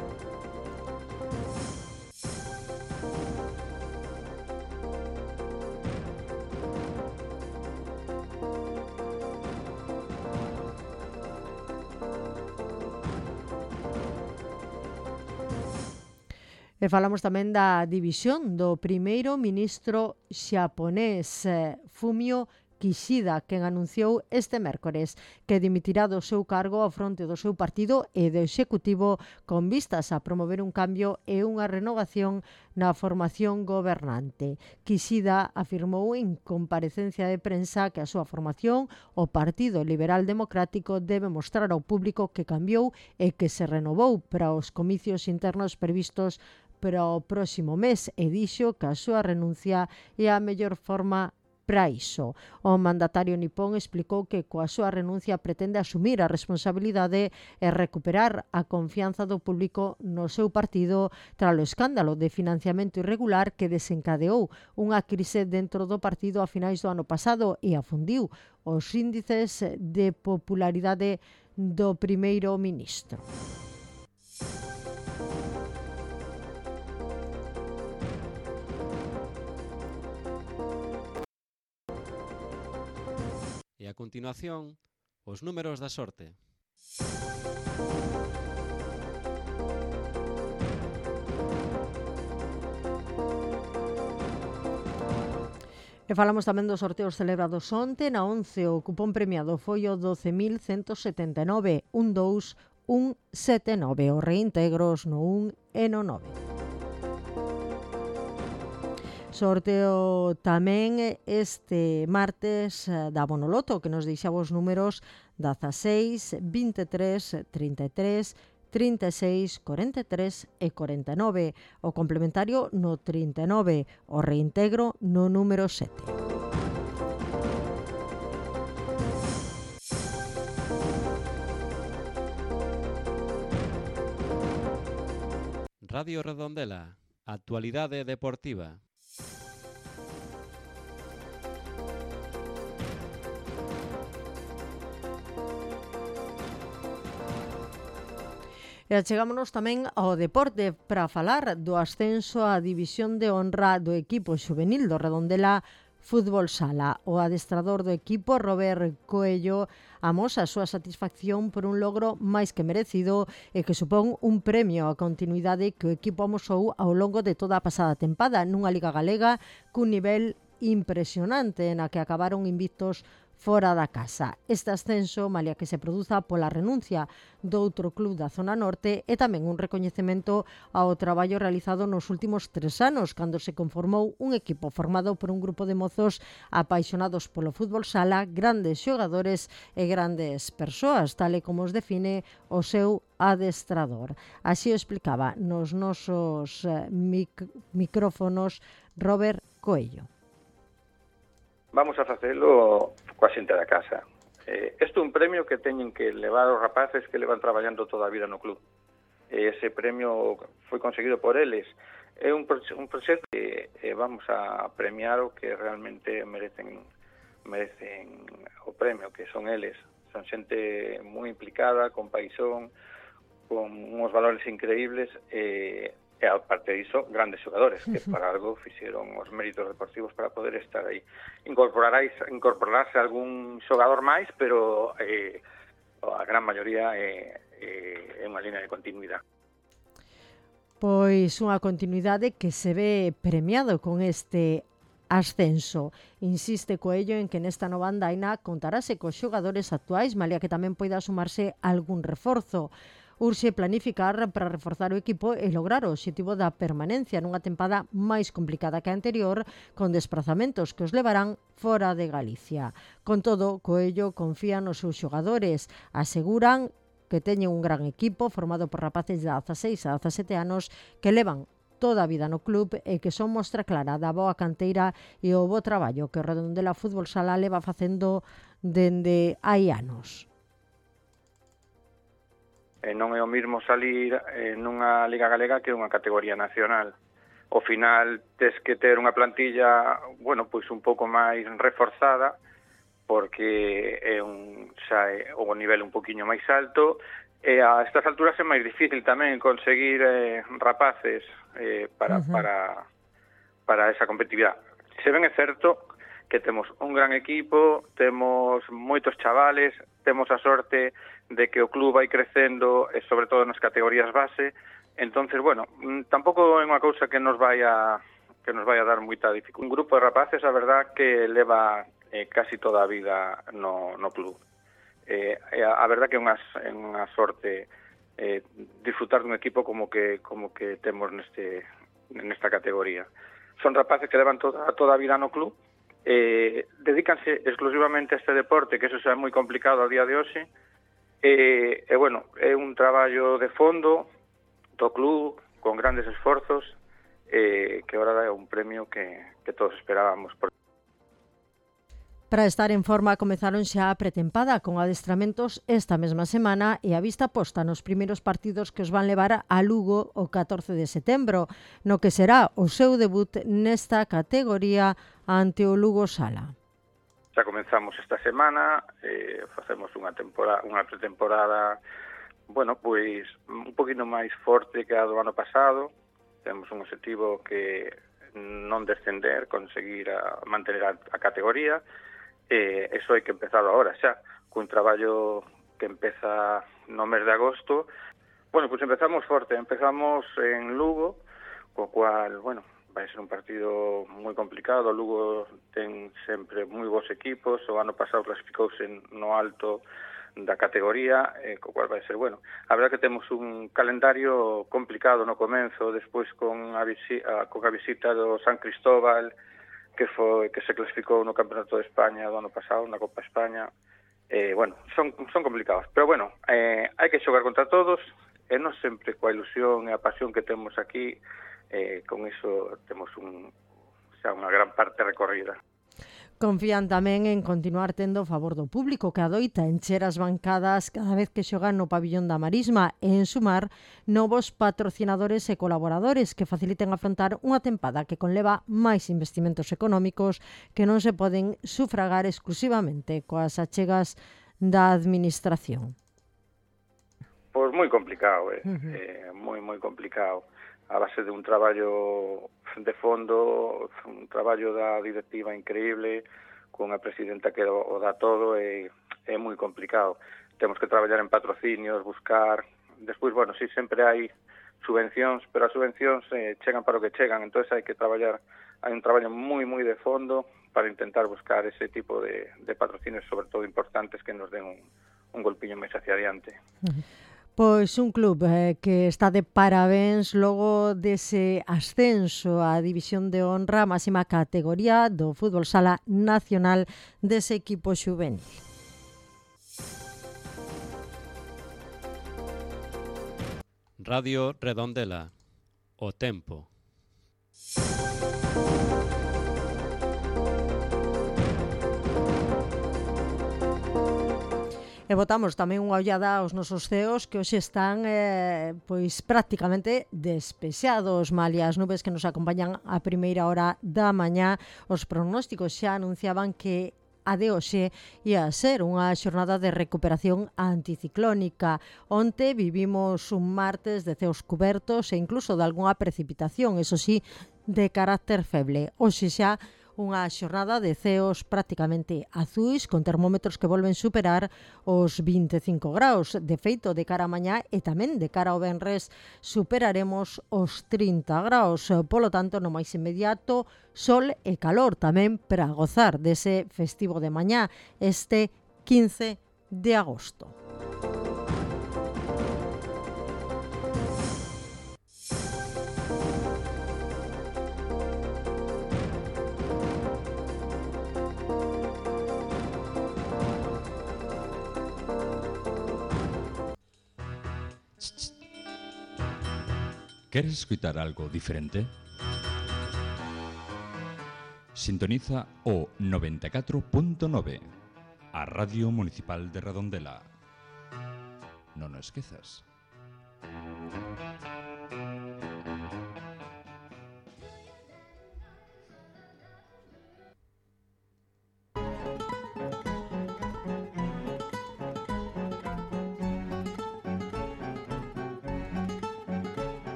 E falamos tamén da división do primeiro ministro xaponés Fumio Kishida, quen anunciou este mércores que dimitirá do seu cargo ao fronte do seu partido e do executivo con vistas a promover un cambio e unha renovación na formación gobernante. Kishida afirmou en comparecencia de prensa que a súa formación, o Partido Liberal Democrático, debe mostrar ao público que cambiou e que se renovou para os comicios internos previstos para o próximo mes e dixo que a súa renuncia é a mellor forma para iso. O mandatario nipón explicou que coa súa renuncia pretende asumir a responsabilidade e recuperar a confianza do público no seu partido tras o escándalo de financiamento irregular que desencadeou unha crise dentro do partido a finais do ano pasado e afundiu os índices de popularidade do primeiro ministro. E a continuación, os números da sorte. E falamos tamén dos sorteos celebrados onte. Na 11 o cupón premiado foi o 12.179, 12179, os reintegros no 1 e no 9. Sorteo tamén este martes da Bonoloto, que nos deixaba os números 16, 23, 33, 36, 43 e 49. O complementario no 39, o reintegro no número 7. Radio Redondela, actualidade deportiva. E chegámonos tamén ao deporte para falar do ascenso á división de honra do equipo xuvenil do Redondela Fútbol Sala. O adestrador do equipo, Robert Coello, amosa a súa satisfacción por un logro máis que merecido e que supón un premio á continuidade que o equipo amosou ao longo de toda a pasada tempada nunha Liga Galega cun nivel impresionante na que acabaron invictos fora da casa. Este ascenso, malia que se produza pola renuncia do outro club da zona norte, é tamén un recoñecemento ao traballo realizado nos últimos 3 anos, cando se conformou un equipo formado por un grupo de mozos apaixonados polo fútbol sala, grandes xogadores e grandes persoas, tal e como os define o seu adestrador. Así o explicaba nos nosos micrófonos Robert Coello. Vamos a facelo coa xente da casa. Isto é un premio que teñen que levar os rapaces que levan traballando toda a vida no club. Ese premio foi conseguido por eles. É un proxecto que vamos a premiar o que realmente merecen o premio, que son eles. Son xente moi implicada, con paixón, con uns valores increíbles e aparte diso, grandes xogadores que para algo fixeron os méritos deportivos para poder estar aí. Incorporarse algún xogador máis, pero a gran maioría é unha línea de continuidade. Pois unha continuidade que se ve premiado con este ascenso. Insiste Coello en que nesta nova andaina contarase cos xogadores actuais, malia que tamén poida sumarse algún reforzo. Urxe planificar para reforzar o equipo e lograr o obxectivo da permanencia nunha tempada máis complicada que a anterior, con desplazamentos que os levarán fora de Galicia. Con todo, Coello confía nos seus xogadores. Aseguran que teñen un gran equipo formado por rapaces de 16 a 17 anos que levan toda a vida no club e que son mostra clara da boa canteira e o bo traballo que o Redondela Fútbol Sala leva facendo dende hai anos. Non é o mismo salir nunha Liga Galega que unha categoría nacional. Ao final tes que ter unha plantilla, bueno, pois un pouco máis reforzada, porque é o nivel un poquinho máis alto, e a estas alturas é máis difícil tamén conseguir rapaces para esa competitividade. Se ben é certo que temos un gran equipo, temos moitos chavales, temos a sorte de que o club vai crecendo, e sobre todo nas categorías base. Entonces, bueno, tampouco é unha cousa que nos vai a dar moita dificultade. Un grupo de rapaces, a verdad, que leva casi toda a vida no club. A verdad que é unha sorte disfrutar dun equipo como que temos nesta categoría. Son rapaces que levan toda a vida no club, dedícanse exclusivamente a este deporte, que eso é moi complicado a día de hoxe, bueno, é un traballo de fondo do club con grandes esforzos, que ahora é un premio que todos esperábamos. Para estar en forma comezaron xa a pretempada con adestramentos esta mesma semana e a vista posta nos primeiros partidos que os van levar a Lugo o 14 de setembro, no que será o seu debut nesta categoría ante o Lugo Sala. Xa comenzamos esta semana, facemos unha pretemporada, bueno, pois un poquinho máis forte que a do ano pasado. Temos un objetivo que non descender, conseguir mantener a categoría. Eso hai que empezar agora xa, cun traballo que empeza no mes de agosto. Bueno, pois empezamos forte, empezamos en Lugo, co cual, bueno, vai ser un partido moi complicado. Lugo ten sempre moi bons equipos, o ano pasado clasificouse no alto da categoría, co cual vai ser bueno. A verdade que temos un calendario complicado no comenzo, despois con a visita do San Cristóbal, que se clasificou no Campeonato de España do ano pasado, na Copa España. Bueno, son complicados, pero bueno, hai que xogar contra todos, e non sempre coa ilusión e a pasión que temos aquí, con iso temos xa unha gran parte recorrida. Confían tamén en continuar tendo o favor do público que adoita encher as bancadas cada vez que xogan no pabillón da Marisma e en sumar novos patrocinadores e colaboradores que faciliten afrontar unha tempada que conleva máis investimentos económicos que non se poden sufragar exclusivamente coas achegas da administración. Pois moi complicado, moi complicado. A base de un traballo de fondo, un traballo da directiva increíble, con a presidenta que o dá todo, é moi complicado. Temos que traballar en patrocinios, buscar. Despois, bueno, sí, sempre hai subvencións, pero as subvencións chegan para o que chegan, entón hai que traballar, hai un traballo moi de fondo para intentar buscar ese tipo de patrocinios, sobre todo importantes, que nos den un golpiño máis hacia adiante. Pois un club que está de parabéns logo dese ascenso á División de Honra, máxima categoría do fútbol sala nacional dese equipo xuvenil. Radio Redondela, o tempo. E botamos tamén unha ollada aos nosos ceos que hoxe están pois prácticamente despexados, malia as nubes que nos acompañan a primeira hora da mañá. Os pronósticos xa anunciaban que a de hoxe ia ser unha xornada de recuperación anticiclónica. Onte vivimos un martes de ceos cubertos e incluso de algunha precipitación, eso sí, de carácter feble. Hoxe xa unha xornada de ceos prácticamente azuis, con termómetros que volven superar os 25 graus. De feito, de cara a mañá e tamén de cara ao venres superaremos os 30 graus. Polo tanto, no máis inmediato, sol e calor tamén para gozar dese festivo de mañá, este 15 de agosto. ¿Queres escutar algo diferente? Sintoniza o 94.9, a Radio Municipal de Redondela. Non o esquezas.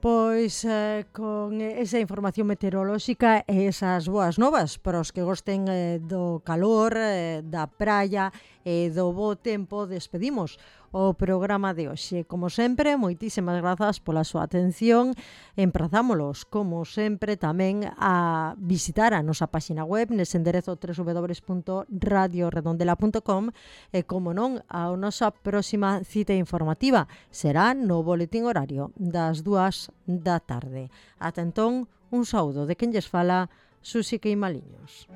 Pois con esa información meteorolóxica e esas boas novas para os que gosten do calor, da praia e do bo tempo, despedimos o programa de hoxe. Como sempre, moitísimas grazas pola súa atención. Emprazámolos, como sempre, tamén a visitar a nosa páxina web nese enderezo www.radioredondela.com e, como non, a nosa próxima cita informativa será no boletín horario das 2 da tarde. Ata entón, un saúdo de quen lles fala, Susi Queimaliños.